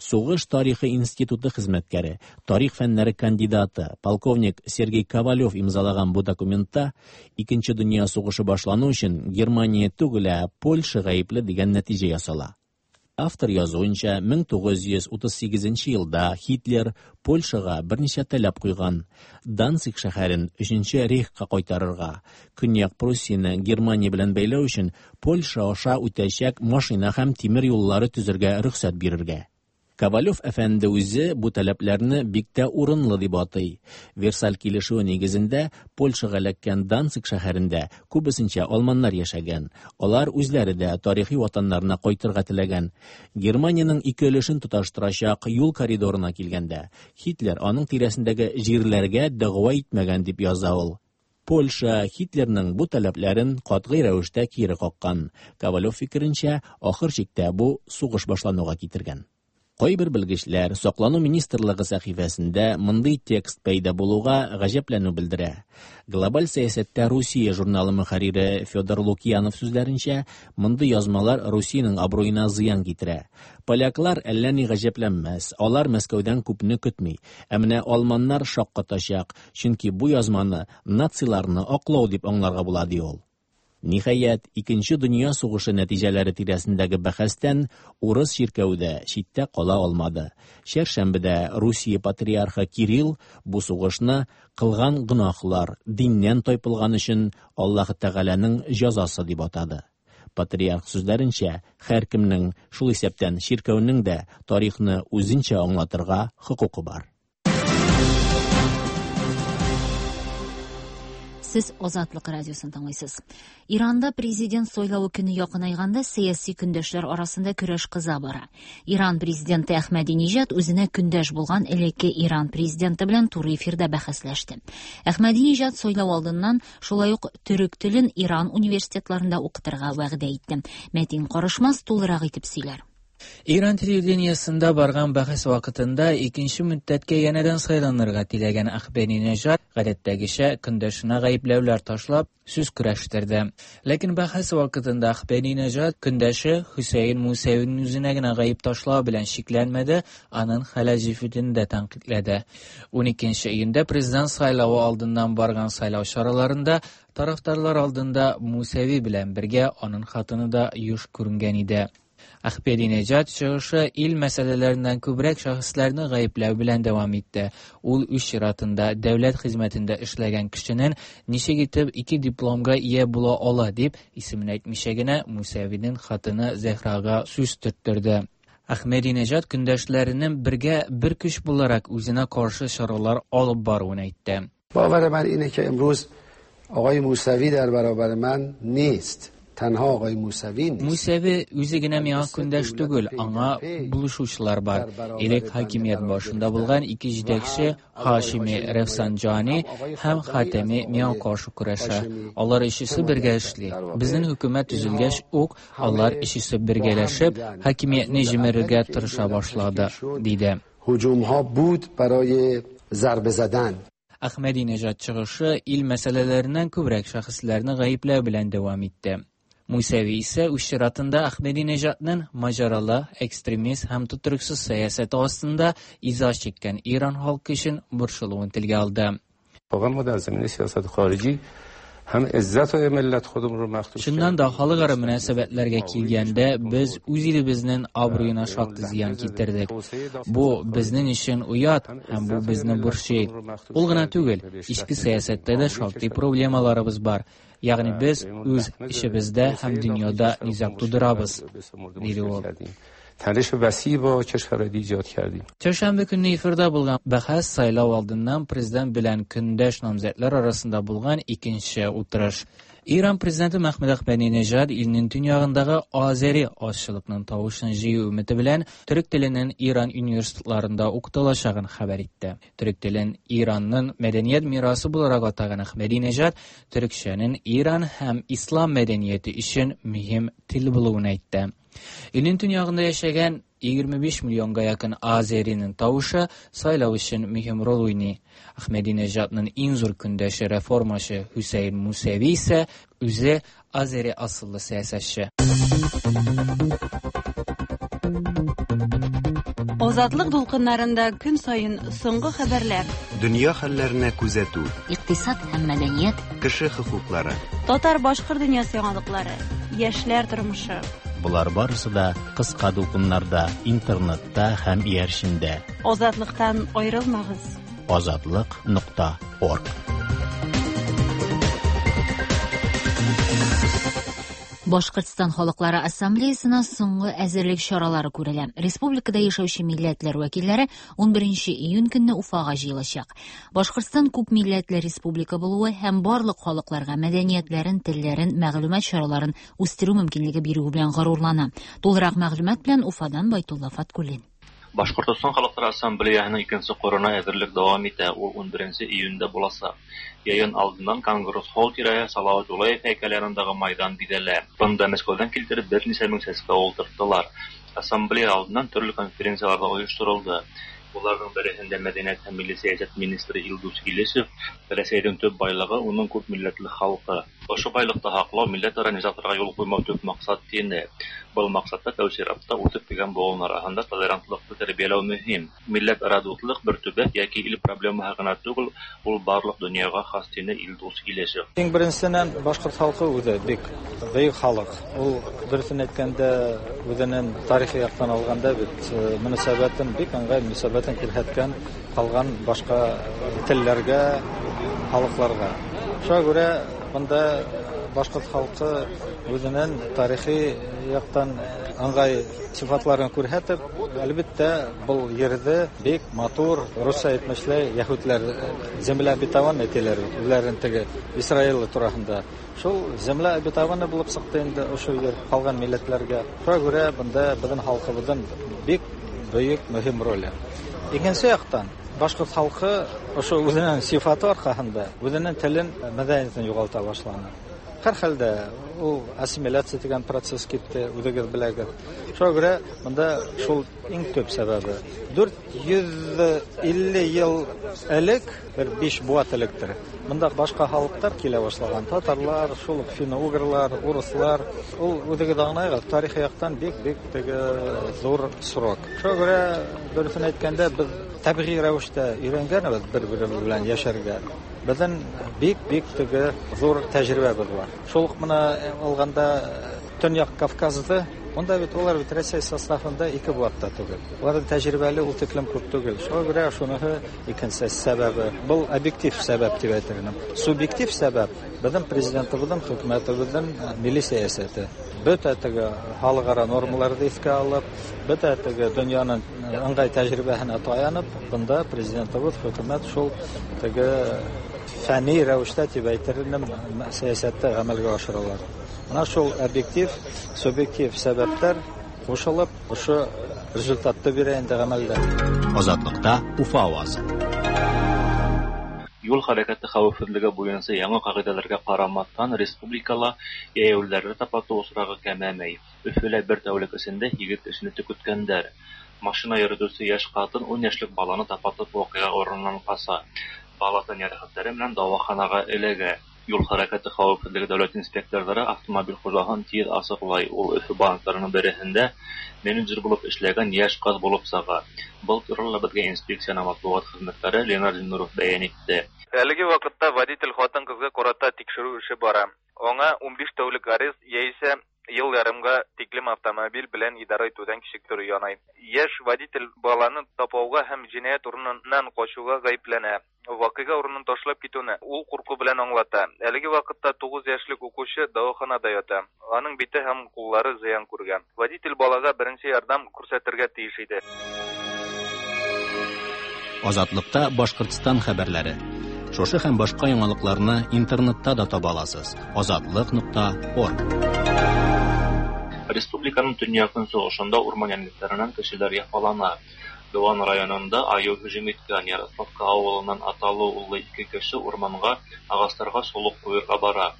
Сугыш тарихы институты хезмәткәре, тарих фәннәре кандидаты, полковник Сергей Ковалев имзалаган бу документта Икенче дөнья сугышы башлану өчен Германия түгел, ә Польша гаепле дигән нәтиҗә ясала. Автор язуынча, мең тугыз йөз утыз сигезенче елда Һитлер Польшага берничә таләп куйган. Данциг шәһәрен Өченче рейхка кайтарырга, Көньяк Пруссияне Германия белән бәйләү өчен Польша аша үтәчәк машина һәм тимер юллары төзергә рөхсәт бирергә. Ковалев әфәнде үзе бу таләпләрне бик тә урынлы дип атый. Версаль килешүе нигезендә Польшага эләккән Данциг шәһәрендә күбесенчә алманнар яшәгән. Алар үзләре дә тарихи ватаннарына кайтырга теләгән. Германиянең ике өлешен тоташтырачак юл коридорына килгәндә, Һитлер аның тирәсендәге җирләргә дәгъва итмәгән дип яза ул. Польша Һитлерның бу таләпләрен катгый рәвештә кире каккан. Ковалев фикеренчә, ахыр чиктә бу сугыш башлануга китергән. Кайбер белгечләр Саклану министрлыгы сәхифәсендә мондый текст пәйда булуга гаҗәпләнү белдерә. Глобаль сәясәттә Русия журналы мөхәррире Федор Лукьянов сүзләренчә, мондый язмалар Русиянең абруена зыян китерә. Поляклар әллә ни гаҗәпләнмәс, алар Мәскәүдән күпне көтми. Ә менә алманнар шаккатачак, чөнки бу язманы нациларны аклау дип аңларга була, ди ул. Ниһаять, Икенче дөнья сугышы нәтиҗәләре тирәсендәге бәхәстән урыс чиркәве дә читтә кала алмады. Чәршәмбедә Русия патриархы Кирилл бу сугышны кылган гөнаһлар, диннән тайпылган өчен Аллаһ Тәгаләнең җәзасы дип атады. Патриарх сүзләренчә, һәркемнең, шул исәптән чиркәүнең дә тарихны үзенчә аңлатырга хокукы бар. Сез Азатлык радиосын тыңлыйсыз. Иранда президент сайлавы көне якынайганда сәяси көндәшләр арасында көрәш кыза бара. Иран президенты Әхмәдинежад үзенә көндәш булган элекке Иран президенты белән туры эфирда бәхәсләште. Әхмәдинежад сайлау алдыннан шулай ук төрек телен Иран университетларында укытырга вәгъдә итте. Мәтин Карышмас тулырак итеп сөйләр. Иран телевидениесында барган бәхәс вакытында икенче мөддәткә янәдән сайланырга теләгән Әхмәдинежад гадәттәгечә көндәшенә гаепләүләр ташлап сүз көрәштерде. Ләкин бәхәс вакытында Әхмәдинежад көндәше Хөсәен Мусәвинең үзенә генә гаеп ташлау белән чикләнмәде, аның хәләл җефетен дә тәнкыйтьләде. Уникенче июньдә президент сайлавы алдыннан барган сайлау чараларында тарафдарлар алдында Мусәви белән бергә аның хатыны да юш күренгән иде. Әхмәдинежад чыгышы ил мәсьәләләреннән күбрәк шәхесләрне гаепләү белән дәвам итте. Ул үз чиратында дәүләт хезмәтендә эшләгән кешенең ничек итеп ике дипломга ия була ала дип исемен әйтмичә генә Мусәвинең хатыны Зәһрага сүз төрттерде. Әхмәдинежад көндәшләренең бергә бер көч буларак үзенә каршы чаралар алып баруын әйтте. باور من اینه که امروز آقای موسوی در برابر من نیست. Тәнһа агай Мусави. Мусави үзе генә миңа көндәш түгел, аңа булышучылар бар. Элек хакимият башында булган ике җитәкче Хашими Рафсанджани һәм Хатами миңа каршы көрәшә. Алар өчесе бергә эшли. Безнең хөкүмәт төзелгәч ук алар өчесе бергәләшеп хакимиятне җимерергә тырыша башлады, диде. Һуҗумһа буд барои зарбе задан. Әхмәдинежад чыгышы ил мәсьәләләреннән күбрәк шәхесләрне гаепләү белән дәвам итте. Мусәви исә үз чиратында Әхмәдинежадның маҗаралы, экстремист һәм тотрыксыз сәясәте астында иза чиккән Иран халкы өчен борчылуын телгә алды. Чыннан да халыкара мөнәсәбәтләргә килгәндә, без үз илебезнең абруена шактый зыян китердек. Бу безнең өчен оят һәм бу безне борчый. Ул гына түгел, эчке сәясәттә дә шактый проблемаларыбыз бар. Ягъни без үз эшебездә һәм дөньяда низаг тудырабыз, диде ул. تنش وسیع با کشورهای ایجاد کردیم. Çərşənbə көнне эфирда булган бәхәс сайлау алдыннан президент белән көндәш намзәтләр арасында булган икенче утырыш. Иран президенты Мәхмүд Әхмәдинежад илнең төньягындагы азәри азчылыкның тавышын җыю өмете белән төрек теленең Иран университетларында укытылачагын хәбәр итте. Төрек телен Иранның мәдәният мирасы буларак атаган Әхмәдинежад төрекчәнең Иран һәм ислам мәдәнияте өчен мөһим тел булуын әйтте. Илнең төньягында яшәгән егерме биш миллионга якын азәринең тавышы сайлау өчен мөһим роль уйный. Әхмәдинежадның иң зур көндәше реформачы Хөсәен Мусәви исә үзе азәри асыллы сәясәтче. Азатлык дулкыннарында көн саен соңгы хәбәрләр, дөнья хәлләренә күзәтү, икътисад һәм мәдәният, кеше хокуклары, татар-башкорт дөньясы яңалыклары, яшьләр тормышы. Болар барысы да кыска дулкыннарда, интернетта һәм иярчендә. Азатлыктан аерылмагыз. Азатлык нокта орг. Башкортстан халыклары ассамблеясына соңгы әзерлек чаралары күрелә. Республикада яшәүче милләтләр вәкилләре ун беренче июнь көнне Уфага җыелачак. Башкортстан күп милләтле республика булуы һәм барлык халыкларга мәдәниятләрен, телләрен, мәгълүмат чараларын үстерү мөмкинлеге бирүе белән горурлана. Тулырак мәгълүмат белән Уфадан Байтулла Фаткуллин. Башкортостан халыклар ассамблеяһының икенче корына әзерлек дәвам итә. Ул ун беренче июньдә булачак. Йыйын алдыннан Конгресс холл тирәһе Салават Юлаев һәйкәле янындагы майдан бизәлә. Бында Мәскәүдән килтереп берничә мең сәскә ултырттылар. Ассамблея алдыннан төрле конференциялар да оештырылды. Буларның береһендә мәдәният һәм милли сәясәт министры Илдус Илешев Рәсәйнең төп байлыгы уның күп милләтле халкы. Ошо байлыкты һаклау, милләтара низагларга юл куймау төп максат тине. Был максатта тәү чиратта үсеп килгән буын арасында толерантлыкты тәрбияләү мөһим. Милләтара дуслык бер төбәк яки ил проблемаһы гына түгел, ул барлык дөньяга хас тине Илдус Илешев. Иң беренсеннән башкорт халкы үзе бик бөек халык. Ул дөресен әйткәндә үзенең тарихи яктан алганда бит мөнәсәбәтен бик ыңгай мөнәсәбәтен күрһәткән калган башка телләргә, халыкларга. Шуңа күрә монда башкорт халкы үзенең тарихи яктан ыңгай сыйфатларын күрһәтеп, әлбәттә, был ерҙе бик матур, русча әйтмешләй, яһүдләр земля обетованная тиләр, үзләрен теге Израиль тураһында. Шул земля обетованная булып сыҡты инде ошо ер ҡалған милләтләргә. Шуңа күрә бында беҙҙең халҡыбыҙҙың бик бөйөк мөһим роле. Икенсе яҡтан башҡорт халҡы ошо үҙенең сифаты арҡаһында үҙенең телен, мәҙәниәтен юғалта башланы. Һәр хәлдә ул ассимиляция дигән процесс китте, үзегез беләгез. Шуңа күрә монда шул иң төп сәбәбе. дүрт йөз илле ел элек, бер биш буат электер. Монда башка халыклар килә башлаган. Татарлар, шул ук финно-угрлар, урыслар. Ул үзегез аңлайгыз, тарихи яктан бик-бик теге зур срок. Шуңа күрә дөресен әйткәндә, без табигый рәвештә өйрәнгәнбез бер-беребез белән яшәргә. Безнең бик-бик теге зур тәҗрибәбез бар. Шул ук менә алганда Төньяк Кавказда, монда бит улар бит Россия составында ике буат та түгел. Уларның тәҗрибәле ул тиклем күп түгел. Шуңа күрә шуныһы икенче сәбәбе. Был объектив сәбәп дип әйтер идем. Субъектив сәбәп безнең президентыбызның, хөкүмәтебезнең милли сәясәте. Бөтә теге халыкара нормаларны искә алып, бөтә теге дөньяның ыңгай тәҗрибәһенә таянып, бында президентыбыз, хөкүмәт шул теге фәнни рәвештә дип әйтер идем, сәясәттә гамәлгә ашыралар. Менә шул объектив, субъектив сәбәпләр кушылып, ошо результатты бирә инде гамәлдә. Азатлыкта Уфа авазы. Юл хәрәкәте хәвефсезлеге буенча яңа кагыйдәләргә карамастан, республикала йәяүлеләрне тапату очрагы кәмәмәй. Өфөлә бер тәүлек эчендә егет кешене төкеткәннәр. Машина йөртүче яшь хатын ун яшьлек баланы тапатып вакыйга урыныннан кача. Бала тән ярәхәтләре белән дәваханага эләгә. Юл хәрәкәте хәвефсезлеге дәүләт инспекторлары автомобиль хуҗаһын тиз асыклай. Ул Өфө банкларының береһендә менеджер булып эшләгән яшь кыз булып чыга. Был турыда безгә инспекциянең матбугат хезмәткәре Ленар Зиннуров бәян итте. Әлеге вакытта водитель хатын-кызга карата тикшерү эше бара. Аңа унбиш тәүлек арест яисә ел ярымга тиклем автомобиль белән идарә итүдән кичектерү янай. Яшь водитель баланы тапауга һәм җинаять урыныннан качуга гаепләнә. Вакыйга урынын ташлап китүне ул курку белән аңлата. Әлеге вакытта тугыз яшьлек укучы дәваханада ята. Аның бите һәм куллары зыян күргән. Водитель балага беренче ярдәм күрсәтергә тиеш иде. Азатлыкта Башкортстан хәбәрләре. Шушы һәм башка яңалыкларны интернетта да таба аласыз. Азатлык нокта орг. Республиканың төньяк-көнчыгышында урман йәнлекләреннән кешеләр яфалана. Дуван районында аю һөҗүм иткән Ярославка авылыннан аталы-уллы ике кеше урманга агачларга солык куерга бара.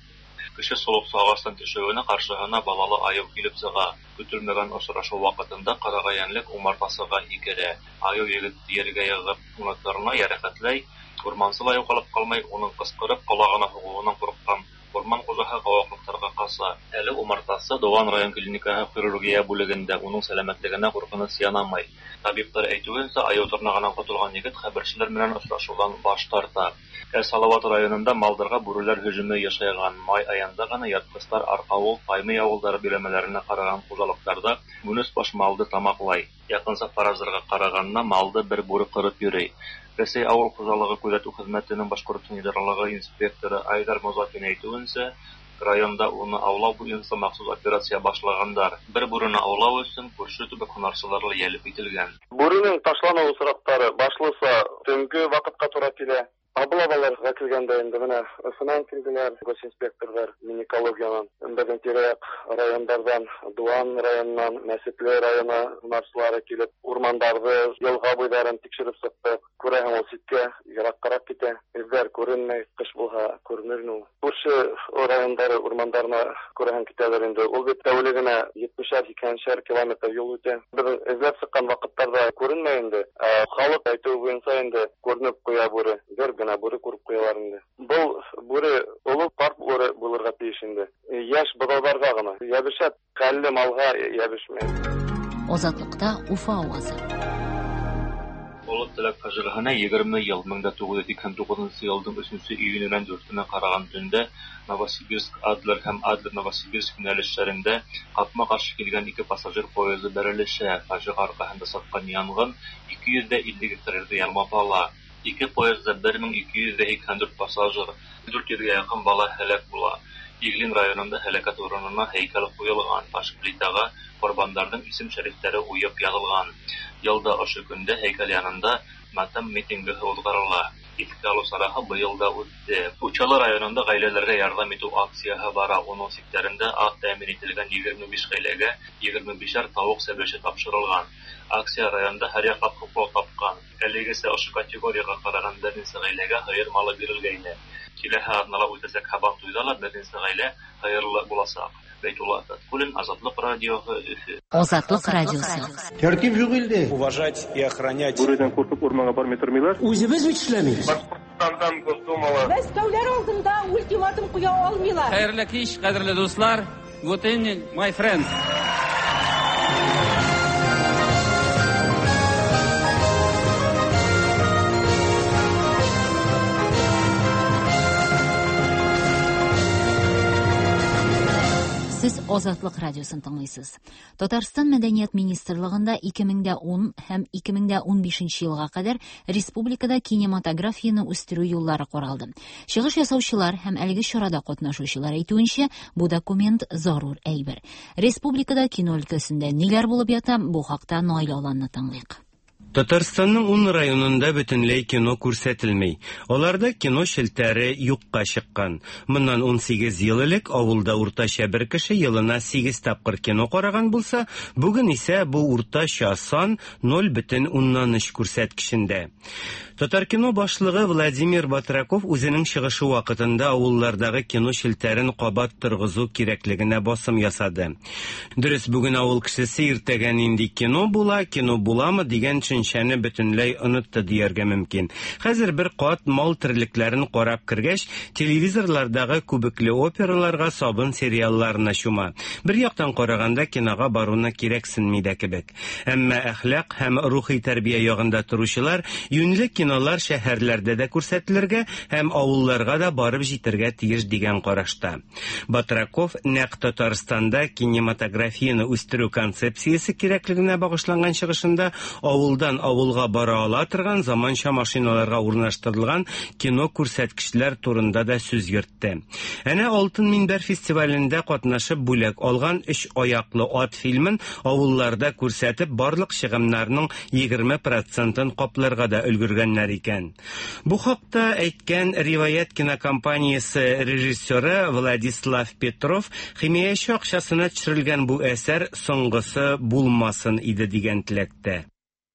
Кеше солыксы агачтан төшүенә каршыһына балалы аю килеп чыга. Көтелмәгән очрашу вакытында карагай йәнлек умартасыга һикерә. Аю егет ергә егып, канатларына ярәхәтләй, урмансы ла югалып калмай, уның кычкырып колагына һугуыннан курыккан урман хуҗаһы куаклыкларга кача. Әле умартасы Дуван район клиникаһы хирургия бүлегендә, уның сәламәтлегенә куркыныч янамай. Табиблар әйтүенчә, аю тырнагыннан котылган егет хәбәрчеләр белән очрашудан баш тарта. Ә Салават районында малдарга бүреләр һөҗүме яшәгән. Май аенда гына ерткычлар Аркавыл, Таймый авылдары биләмәләренә караган хуҗалыкларда унөч баш малды тамаклай. Якынча фаразларга караганда малды бер бүре кырып йөри. Рәсәй авыл хуҗалыгы күзәтү хезмәтенең Башкортстан идаралыгы инспекторы Айдар Мозафин әйтүенчә, районда уны аулау буенча махсус операция башлагандар. Бер бүрене аулау өчен күрше төбәк һунарчылары җәлеп ителгән. Бүренең ташлану очраклары башлыса төнге вакытка тура килә. Облаваларга килгәндә инде менә Өфөнән килделәр, госинспекторлар, Минэкологиянан, безнең тирә-як райондардан, Дуван районыннан, Мәсетле районы һунарчылары килеп, урмандарҙы, йылға буйҙарын тикшереп сыҡтыҡ. Күрәһең, ул ситкә, йыраҡҡараҡ китә. Эҙҙәр күренмәй, ҡыш булһа күренер ул. Күрше райондары урмандарына күрәһең китәләр инде. Ул бит тәүлегенә етмешәр, һикһәншәр километр юл үтә. Беҙ эҙләп сыҡҡан ваҡыттарҙа күренмәй инде. Ә халыҡ әйтеүе буйынса инде күренеп ҡуя бүре. Бер генә бүре күреп ҡуялар инде. Был бүре оло ҡарт бүре булырға тейеш инде. Йәш быҙауҙарға ғына йәбешә, хәлле малға йәбешмәй. Азатлыкта Уфа авазы. Олы Теләк фаҗигаһенә егерме ел, мең дә тугыз йөз һикһән тугызынчы елның өченче июненнән дүртенә караган төндә Новосибирск Адлер һәм Адлер Новосибирск юнәлешләрендә капма-каршы килгән ике пассажир поезды бәрелешә. Фаҗига аркаһында чыккан янгын ике йөз дә илле гектар ерҙе ялмап ала. Ике поездда бер мең ике йөз дә һикһән дүрт пассажир, дүрт йөҙгә яҡын бала һәләк була. Иглин районында һәләкәт урынына һәйкәл ҡуйылған, таш плитаға ҡорбандарҙың исем-шәрифтәре уйып яҙылған. Йылда ошо көндә һәйкәл янында матәм митингы уҙғарыла. Искә алу чарасы быел да үтте. Учалы районында гаиләләргә ярдәм итү акцияһы бара. Уның сиктәрендә аз тәэмин ителгән егерме биш гаиләгә егерме бишәр тавык сәбәче тапшырылган. Акция районда һәр яклап хуплау тапкан. Әлегәчә ошо категорияга караган берничә гаиләгә һыер малы бирелгәйне. Киләһе аҙнала үтәсәк Һабантуйҙа ла берничә гаилә һыйырлы буласаҡ. Бәйтулла Фәтхуллин, Азатлык радиоһы, Өфө. Азатлык радиосы. Тәртип юк илдә. Уважать и охранять. Бүредән куркып урманга бармый тормыйлар. Үзебез бит эшләмибез. Башкортстандан Госдумала. Мәскәүләр алдында ультиматум куя алмыйлар. Хәерле кич, кадерле дуслар. Good evening, my friends. Сез Азатлык радиосын тыңлыйсыз. Татарстан Мәдәният министрлыгында ике мең дә ун һәм ике мең дә унбишенче елга кадәр республикада кинематографияне үстерү юллары каралды. Чыгыш ясаучылар һәм әлеге чарада катнашучылар әйтүенчә, бу документ зарур әйбер. Республикада кино өлкәсендә ниләр булып ята, бу хакта Наил Аланны тыңлыйк. Татарстанның ун районында бөтенләй кино күрсәтелмей. Аларда кино челтәре юкка чыккан. Моннан ун сигез ел элек авылда уртача бер кеше елына сигез тапкыр кино караган булса, бүген исә бу уртача сан ноль бөтен уннан өч күрсәткечендә. Татаркино башлыгы Владимир Батраков үзенең чыгышы вакытында авыллардагы кино челтәрен кабат торгызу кирәклегенә басым ясады. Дөрес, бүген авыл кешесе иртәгә нинди кино була, кино буламы дигән төшенчәне бөтенләй онытты дияргә мөмкин. Хәзер бер кат мал терлекләрен карап кергәч, телевизорлардагы күбекле операларга, сабын сериалларына чума. Бер яктан караганда кинога баруны кирәксенми дә кебек. Әмма әхлак һәм рухи тәрбия ягында торучылар юньле кинолар шәһәрләрдә дә күрсәтелергә һәм авылларга да барып җитәргә тиеш дигән карашта. Батраков нәкъ Татарстанда кинематографияне үстерү концепциясе кирәклегенә багышланган чыгышында авылдан авылга бара ала торган заманча машиналарга урнаштырылган кино күрсәткечләр турында да сүз йөртте. Әнә Алтын Минбәр фестивалендә катнашып бүләк алган Өч аяклы ат фильмын авылларда күрсәтеп барлык чыгымнарның егерме процентын капларга да өлгергәннәр икән. Бу хакта әйткән Риваят кинокомпаниясе режиссеры Владислав Петров химияче акчасына төшерелгән бу әсәр соңгысы булмасын иде дигән теләктә.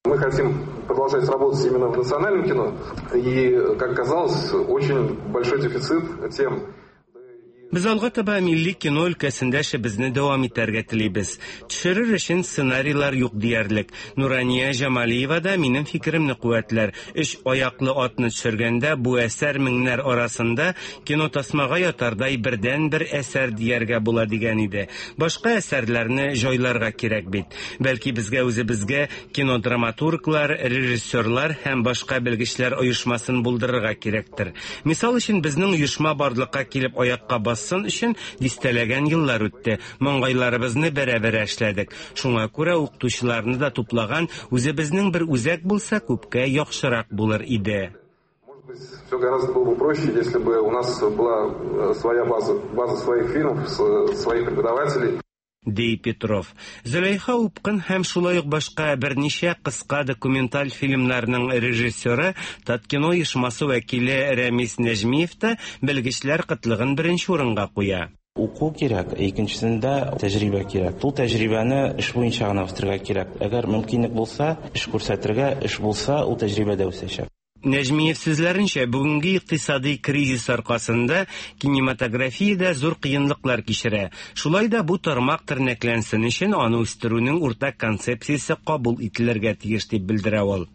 Мы хотим продолжать работать именно в национальном кино, и, как оказалось, очень большой дефицит тем. Без алга таба милли кино өлкәсендә эшебезне дәвам итәргә телибез. Төшерер өчен сценарийлар юк диярлек. Нурания Җамалиева да минем фикеремне куәтләр. Өч аяклы атны төшергәндә бу әсәр меңнәр арасында кино тасмага ятардай бердән-бер әсәр дияргә була дигән иде. Башка әсәрләрне җайларга кирәк бит. Бәлки безгә үзебезгә кинодраматурглар, режиссерлар һәм башка белгечләр оешмасын булдырырга кирәктер. Мисал өчен безнең оешма барлыкка килеп аякка бас Бассын өчен дистәләгән еллар үтте. Маңгайларыбызны бәрә-бәрә эшләдек. Шуңа күрә укытучыларны да туплаган үзебезнең бер үзәк булса, күпкә яхшырак булыр иде. Может быть, все гораздо было бы проще, если бы у нас была своя база, база своих фильмов, своих преподавателей. Ди Петров. Зөләйха Упкын һәм шулай ук башка берничә кыска документаль фильмнарның режиссеры Таткино оешмасы вәкиле Рәмис Нәҗмиев та белгечләр кытлыгын беренче урынга куя. Уку кирәк, икенчесендә тәҗрибә кирәк. Ул тәҗрибәне эш буенча гына үстерергә кирәк. Әгәр мөмкинлек булса, эш күрсәтергә, эш булса, ул тәҗрибә дә үсәчәк. Нәҗмиев сүзләренчә, бүгенге икътисади кризис аркасында кинематография дә зур кыенлыклар кичерә. Шулай да бу тармак тернәкләнсен өчен аны үстерүнең уртак концепциясе кабул ителергә тиеш дип белдерә ул.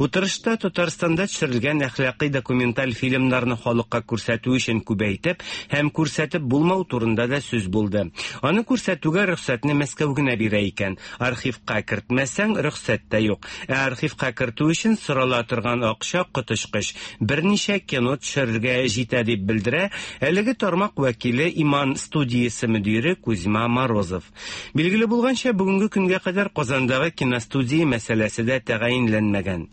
Утырышта Татарстанда төшерелгән әхлакый документаль фильмнарны халыкка күрсәтү өчен күбәйтеп һәм күрсәтеп булмау турында да сүз булды. Аны күрсәтүгә рөхсәтне Мәскәү генә бирә икән. Архивка кертмәсәң, рөхсәт тә юк. Ә архивка кертү өчен сорала торган акча коточкыч. Берничә кино төшерергә җитә дип белдерә әлеге тармак вәкиле Иман студиясе мөдире Кузьма Морозов. Билгеле булганча, бүгенге көнгә кадәр Казандагы киностудия мәсьәләсе дә тәгаенләнмәгән.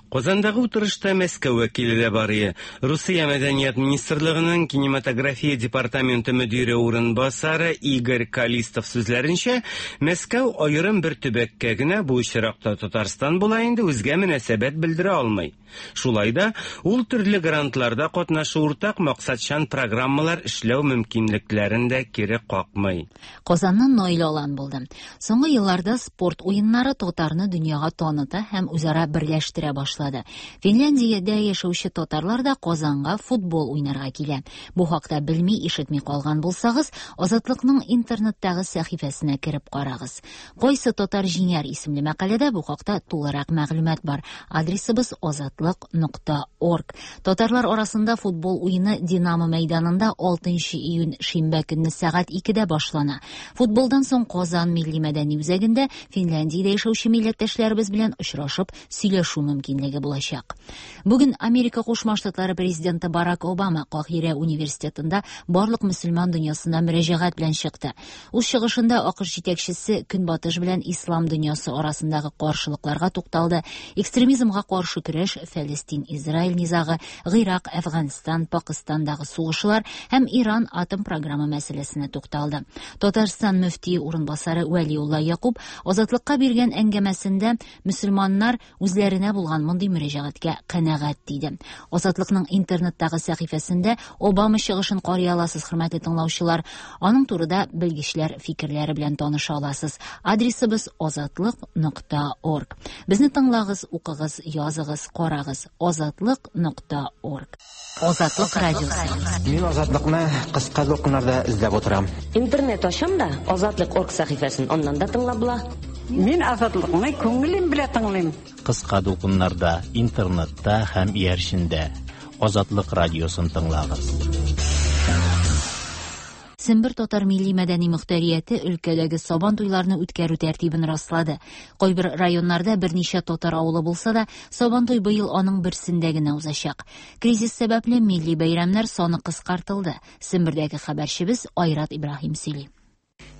Казандагы утырышта Мәскәү вәкиле дә бар иде. Русия Мәдәният министрлыгының кинематография департаменты мөдире урынбасары Игорь Калистов сүзләренчә, Мәскәү аерым бер төбәккә генә, бу очракта Татарстан була инде, үзгә мөнәсәбәт белдерә алмый. Шулай да ул төрле грантларда катнашу, уртак максатчан программалар эшләү мөмкинлекләрен дә кире какмый. Казаннан Наил Алан булды. Соңгы елларда спорт уеннары татарны дөньяга таныта һәм үзара берләштерә башлады. Финляндиядә яшәүче татарлар да Казанга футбол уйнарга килә. Бу хакта белми, ишетми калган булсагыз, Азатлыкның интернеттагы сәхифәсенә кереп карагыз. Кайсы татар җиңәр исемле мәкаләдә бу хакта тулырак мәгълүмат бар. Адресыбыз азатлык нокта орг. Татарлар арасында футбол уены Динамо мәйданында алтынчы июнь шимбә көнне сәгать икедә башлана. Футболдан соң Казан милли мәдәни үзәгендә Финляндиядә яшәүче милләттәшләребез белән очрашып сөйләшү мөмкинлеге булачак. Бүген Америка Кушма Штатлары президенты Барак Обама Каһирә университетында барлык мөселман дөньясына мөрәҗәгать белән чыкты. Үз чыгышында АКШ җитәкчесе Көнбатыш белән ислам дөньясы арасындагы каршылыкларга тукталды. Экстремизмга каршы көрәш, Фәлестин-Израиль низагы, Гыйрак, Әфганстан, Пакистандагы сугышлар һәм Иран атом программы мәсьәләсенә тукталды. Татарстан мөфтие урынбасары Вәлиулла Якуб Азатлыкка биргән әңгәмәсендә мөселманнар үзләренә булган мондый мөрәҗәгатькә канәгать диде. Азатлыкның интернеттагы сәхифәсендә Обама чыгышын карый аласыз, хөрмәтле тыңлаучылар. Аның турыда белгечләр фикерләре белән таныша аласыз. Адресыбыз азатлык нокта орг. Безне тыңлагыз, укыгыз, языгыз, карагыз. азатлык нокта орг. Азатлык радиосы. Мин Азатлыкны кыска дулкыннарда эзләп утырам. Интернет ачам да Азатлык орг сәхифәсен аннан да тыңлап була. Мин Азатлыкны күңелем белән тыңлыйм. Кыска дулкыннарда, интернетта һәм иярчендә Азатлык радиосын тыңлагыз. Сембер татар милли мәдәни мөхтәрияте өлкәдәге сабан туйларны үткәрү тәртибен раслады. Кайбер районнарда берничә татар авылы булса да, сабан туй быел аның берсендә генә узачак. Кризис сәбәпле милли бәйрәмнәр саны кыскартылды. Сембердәге хәбәрчебез Айрат Ибраһим сөйли.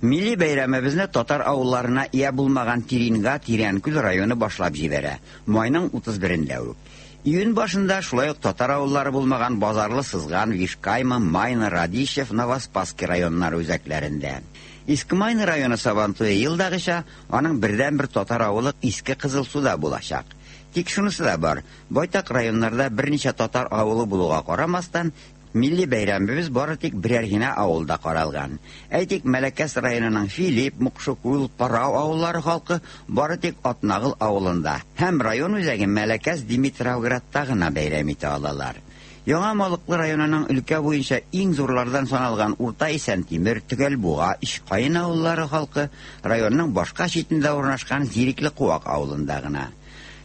Милли бәйрәмебезне татар авылларына ия булмаган Тиринга Тирәнкүл районы башлап җибәрә. Майның утыз берендә үк. Июнь башында шулай ук татар авыллары булмаган Базарлы, Сызган, Вишкайма, Майна, Радищев, Новоспасский районнары үзәкләрендә. Иске Майна районы Сабантуе елдагыча аның бердәнбер татар авылы Иске Кызылсуда булачак. Тик шунысы да бар, байтак районнарда берничә татар авылы булуга карамастан, милли бәйрәмебез бары тик берәр генә авылда каралган. Әйтик, Мәләкәс районының Филипп, Мукшыкул, Парау авыллары халкы бары тик Атнагыл авылында һәм район үзәге Мәләкәс Димитровградта гына бәйрәм итә алалар. Яңа Малыклы районының өлкә буенча иң зурлардан саналган Урта Исәнтимер, Төгәлбуга, Ишкайын авыллары халкы районның башка читендә урнашкан Зирекле Куак авылында гына.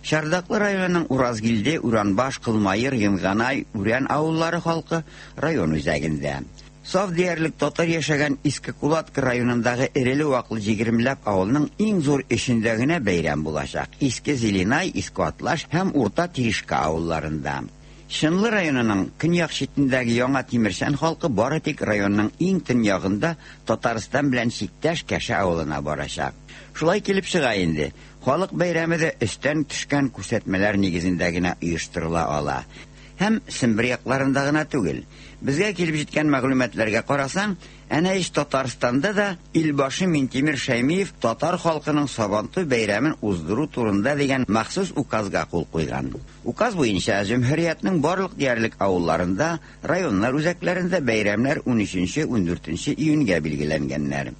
Шардаклы районының Уразгилде, Уранбаш, Кылмайыр, Йынганай, Үрән авыллары халкы район үзәгендә. Саф диярлек татар яшәгән Иске Кулатка районындагы эреле-ваклы егермеләп авылның иң зур эшендә генә бәйрәм булачак. Иске Зеленай, Иске Атлаш һәм Урта Тиришка авылларында. Чынлы районының көньяк читендәге Яңа Тимершән халкы бары тик районның иң төньягында Татарстан белән чиктәш Кәшә авылына барачак. Шулай килеп чыга инде. Халык бәйрәме дә өстән төшкән күрсәтмәләр нигезендә генә оештырыла ала. Һәм Сембер якларында гына түгел. Безгә килеп җиткән мәгълүматларга карасаң, әнә ич Татарстанда да Илбашы Минтимер Шәймиев татар халкының Сабантуй бәйрәмен уздыру турында дигән махсус указга кул куйган. Указ буенча җөмһүриятнең барлык диярлек авылларында, районнар үзәкләрендә бәйрәмнәр унөченче, ундүртенче июньгә билгеләнгәннәр.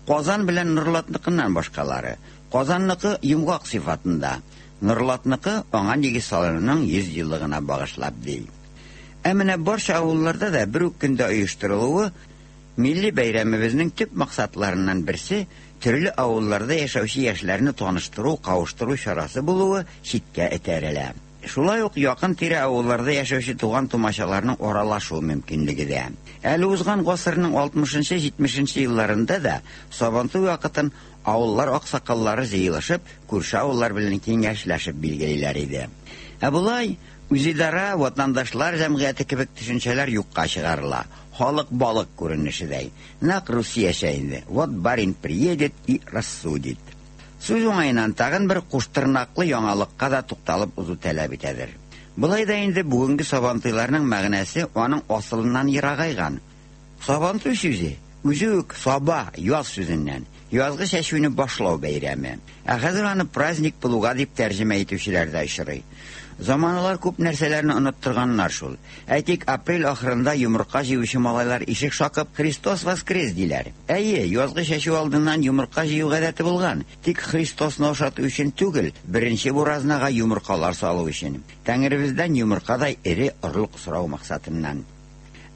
Казан белән Нурлатныкыннан башкалары. Казанныкы йомгак сыйфатында, Нурлатныкы аңа нигез салынуның йөз еллыгына багышлап ди. Ә менә барча авылларда да бер үк көндә оештырылуы милли бәйрәмебезнең төп максатларыннан берсе төрле авылларда яшәүче яшьләрне таныштыру, кавыштыру чарасы булуы читкә этәрелә. Шулай ук якын тирә авылларда яшәүче туган тумачаларның аралашу мөмкинлеге дә. Әле узган гасырның алтмышынчы, җитмешенче елларында да Сабантуй вакытын авыллар аксакаллары җыелышып, күрше авыллар белән киңәшләшеп билгелиләр иде. Ә болай үзидара, ватандашлар җәмгыяте кебек төшенчәләр юкка чыгарыла. Халык балык күренешедәй. Нәкъ Русиячә инде. Вот барин приедет и рассудит. Сүз уңаеннан тагын бер куштырнаклы яңалыкка да тукталып узу таләп итәдер. Болай да инде бүгенге сабантуйларның мәгънәсе аның асылыннан ерагайган. Сабантуй сүзе үзе үк саба, яз сүзеннән. Язгы чәчүне башлау бәйрәме. Ә хәзер аны праздник булуга дип тәрҗемә итүчеләр дә очрый. Заманалар күп нәрсәләрне оныттырганнар шул. Әйтик, апрель ахырында йомырка җыючы малайлар ишек шакып «Христос воскрес» диләр. Әйе, язгы чәчү алдыннан йомырка җыю гадәте булган. Тик Христосны ошату өчен түгел, беренче буразнага йомыркалар салу өчен. Тәңребездән йомыркадай эре орлык сорау максатыннан.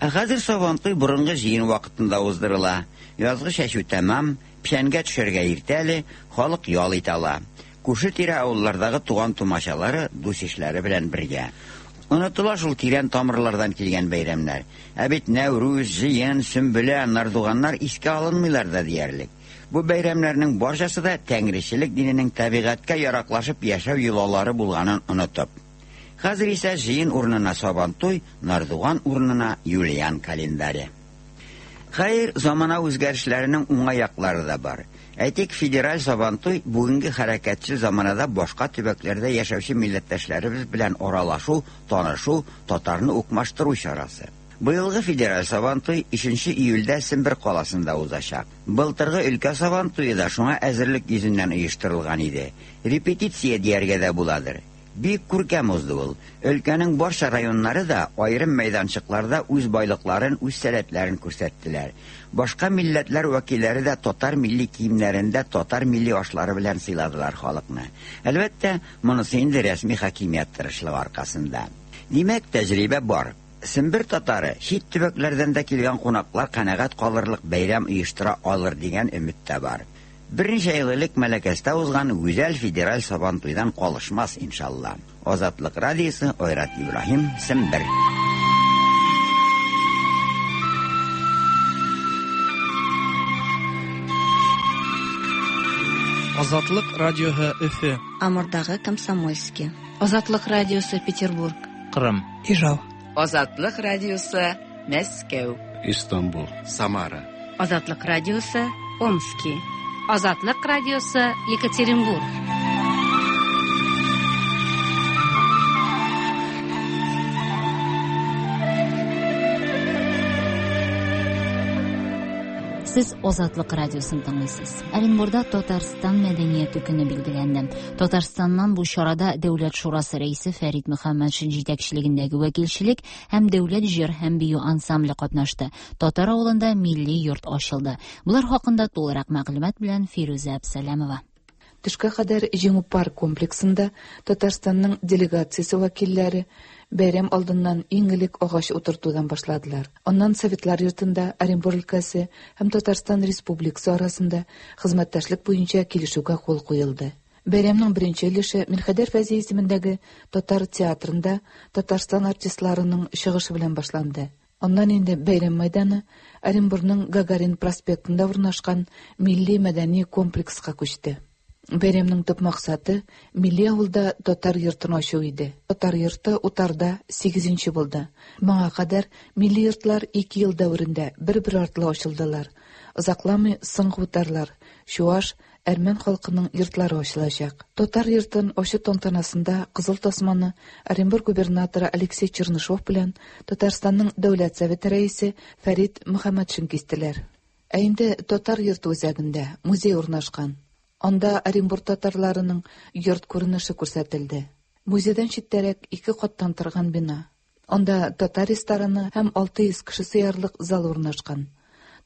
Ә хәзер Сабантуй борынгы җыен вакытында уздырыла. Язгы чәчү тәмам, печәнгә төшәргә иртә әле, халык ял итә ала. Күрше-тирә авыллардагы туган тумачалары, дус-ишләре белән бергә. Онытыла шул тирән тамырлардан килгән бәйрәмнәр. Ә бит Нәүрүз, җыен, Сөмбелә, Нардуганнар искә алынмыйлар да диярлек. Бу бәйрәмнәрнең барчасы да тәңречелек диненең табигатькә яраклашып яшәү йолалары булганын онытып. Хәзер исә җыен урынына Сабантуй, Нардуган урынына Юлиан календаре. Хәер, замана үзгәрешләренең уңай яклары да бар. Әйтик, федераль Сабантуй бүгенге хәрәкәтче заманада башка төбәкләрдә яшәүче милләттәшләребез белән аралашу, танышу, татарны укмаштыру чарасы. Быелгы федераль Сабантуй өченче июльдә Сембер каласында узачак. Былтыргы өлкә Сабантуе да шуңа әзерлек йөзеннән оештырылган иде. Репетиция дияргә дә буладыр. Бик күркәм узды ул. Өлкәнең барча районнары да аерым мәйданчыкларда үз байлыкларын, үз сәләтләрен күрсәттеләр. Башка милләтләр вәкилләре дә татар милли киемнәрендә татар милли ашлары белән сыйладылар халыкны. Әлбәттә, монысы инде рәсми хакимият тырышлыгы аркасында. Димәк, тәҗрибә бар. Сембер татары чит төбәкләрдән дә килгән кунаклар канәгать калырлык бәйрәм оештыра алыр дигән өмет тә бар. Берничә ел элек Мәләкәстә узган гүзәл федераль Сабантуйдан калышмас иншалла. Азатлык радиосы, Айрат Ибраһим, Сембер. Азатлык радиосы Өфе. Амурдагы Комсомольский. Азатлык радиосы Петербург. Кырым. Ижау. Азатлык радиосы Мәскәү. Истанбул. Самара. Азатлык радиосы Омский. Азатлык радиосы Екатеринбург. Сез Азатлык радиосын тыңлыйсыз. Оренбурда Татарстан мәдәнияте көне билгеләнде. Татарстаннан бу чарада Дәүләт шурасы рәисе Фәрит Мөхәммәтшин җитәкчелегендәге вәкилчелек һәм Дәүләт җыр һәм бию ансамбле катнашты. Татар авылында милли йорт ачылды. Булар хакында тулырак мәгълүмат белән Фирүзә Әбсәләмова. Төшкә кадәр Җиңү парк комплексында Татарстанның делегациясе вәкилләре бәйрәм алдыннан иң элек агач утыртудан башладылар. Аннан Советлар йортында Оренбур өлкәсе һәм Татарстан Республикасы арасында хезмәттәшлек буенча килешүгә кул куелды. Бәйрәмнең беренче өлеше Мирхәйдәр Фәйзи исемендәге татар театрында Татарстан артистларының чыгышы белән башланды. Аннан инде бәйрәм мәйданы Оренбурның Гагарин проспектында урнашкан милли мәдәни комплекска күчте. Бәйрәмнең төп максаты милли авылда татар йортын ачу иде. Татар йорты утарда сигезенче булды. Моңа кадәр милли йортлар ике ел дәверендә бер-бер артлы ачылдылар. Озакламый соңгы утарлар Чуаш, әрмән халкының йортлары ачылачак. Татар йортын ачу тантанасында Кызыл тасманы Оренбург губернаторы Алексей Чернышов белән Татарстанның Дәүләт Советы рәисе Фәрит Мөхәммәтшин кистеләр. Ә инде татар йорты үзәгендә музей урнашкан. Анда Оренбург татарларының йорт күренеше күрсәтелде. Музейдан читтәрәк ике каттан торган бина. Анда татар рестораны һәм алты йөз кеше сыярлык зал урнашкан.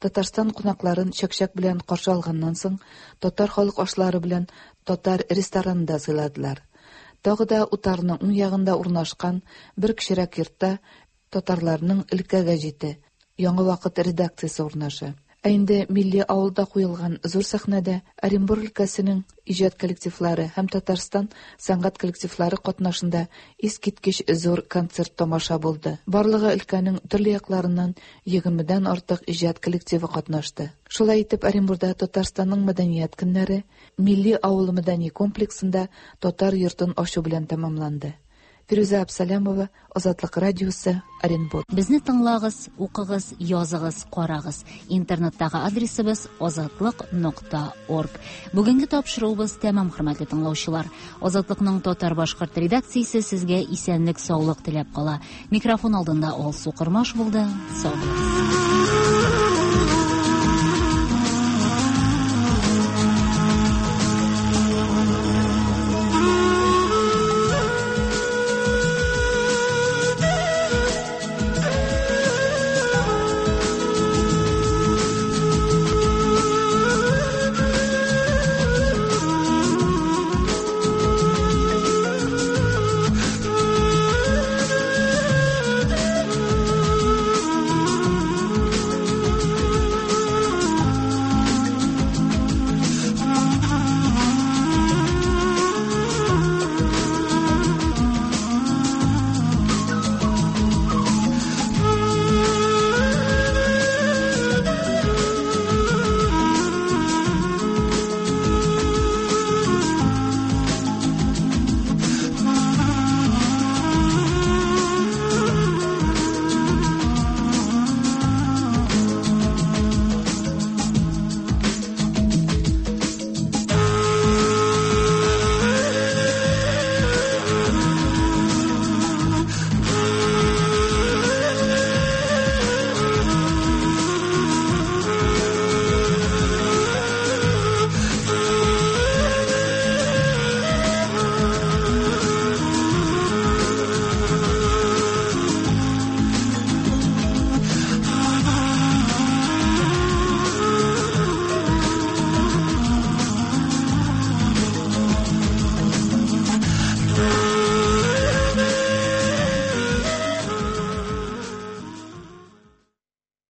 Татарстан кунакларын чәкчәк белән каршы алганнан соң, татар халык ашлары белән татар ресторанында сыйладылар. Тагы да утарның уң ягында урнашкан бер кечерәк йортта татарларның өлкә гәҗите Яңа вакыт редакциясе урнаша. Ә инде милли авылда куелган зур сәхнәдә Оренбург өлкәсенең иҗат коллективлары һәм Татарстан сәнгать коллективлары катнашында искиткеч зур концерт тамаша булды. Барлыгы өлкәнең төрле якларыннан егермедән артык иҗат коллективы катнашты. Шулай итеп, Оренбургда Татарстанның мәдәният көннәре милли авыл мәдәни комплексында татар йортын ачу белән тәмамланды. Фирүзә Абсалямова, Азатлык радиосы, Оренбург. Безне тыңлагыз, укыгыз, языгыз, карагыз. Интернеттагы адресыбыз азатлык нокта орг. Бүгенге тапшыруыбыз тәмам, хөрмәтле тыңлаучылар. Азатлыкның татар-башкорт редакциясе сезгә исәнлек, саулык теләп кала. Микрофон алдында Алсу Кормаш булды. Сау булыгыз.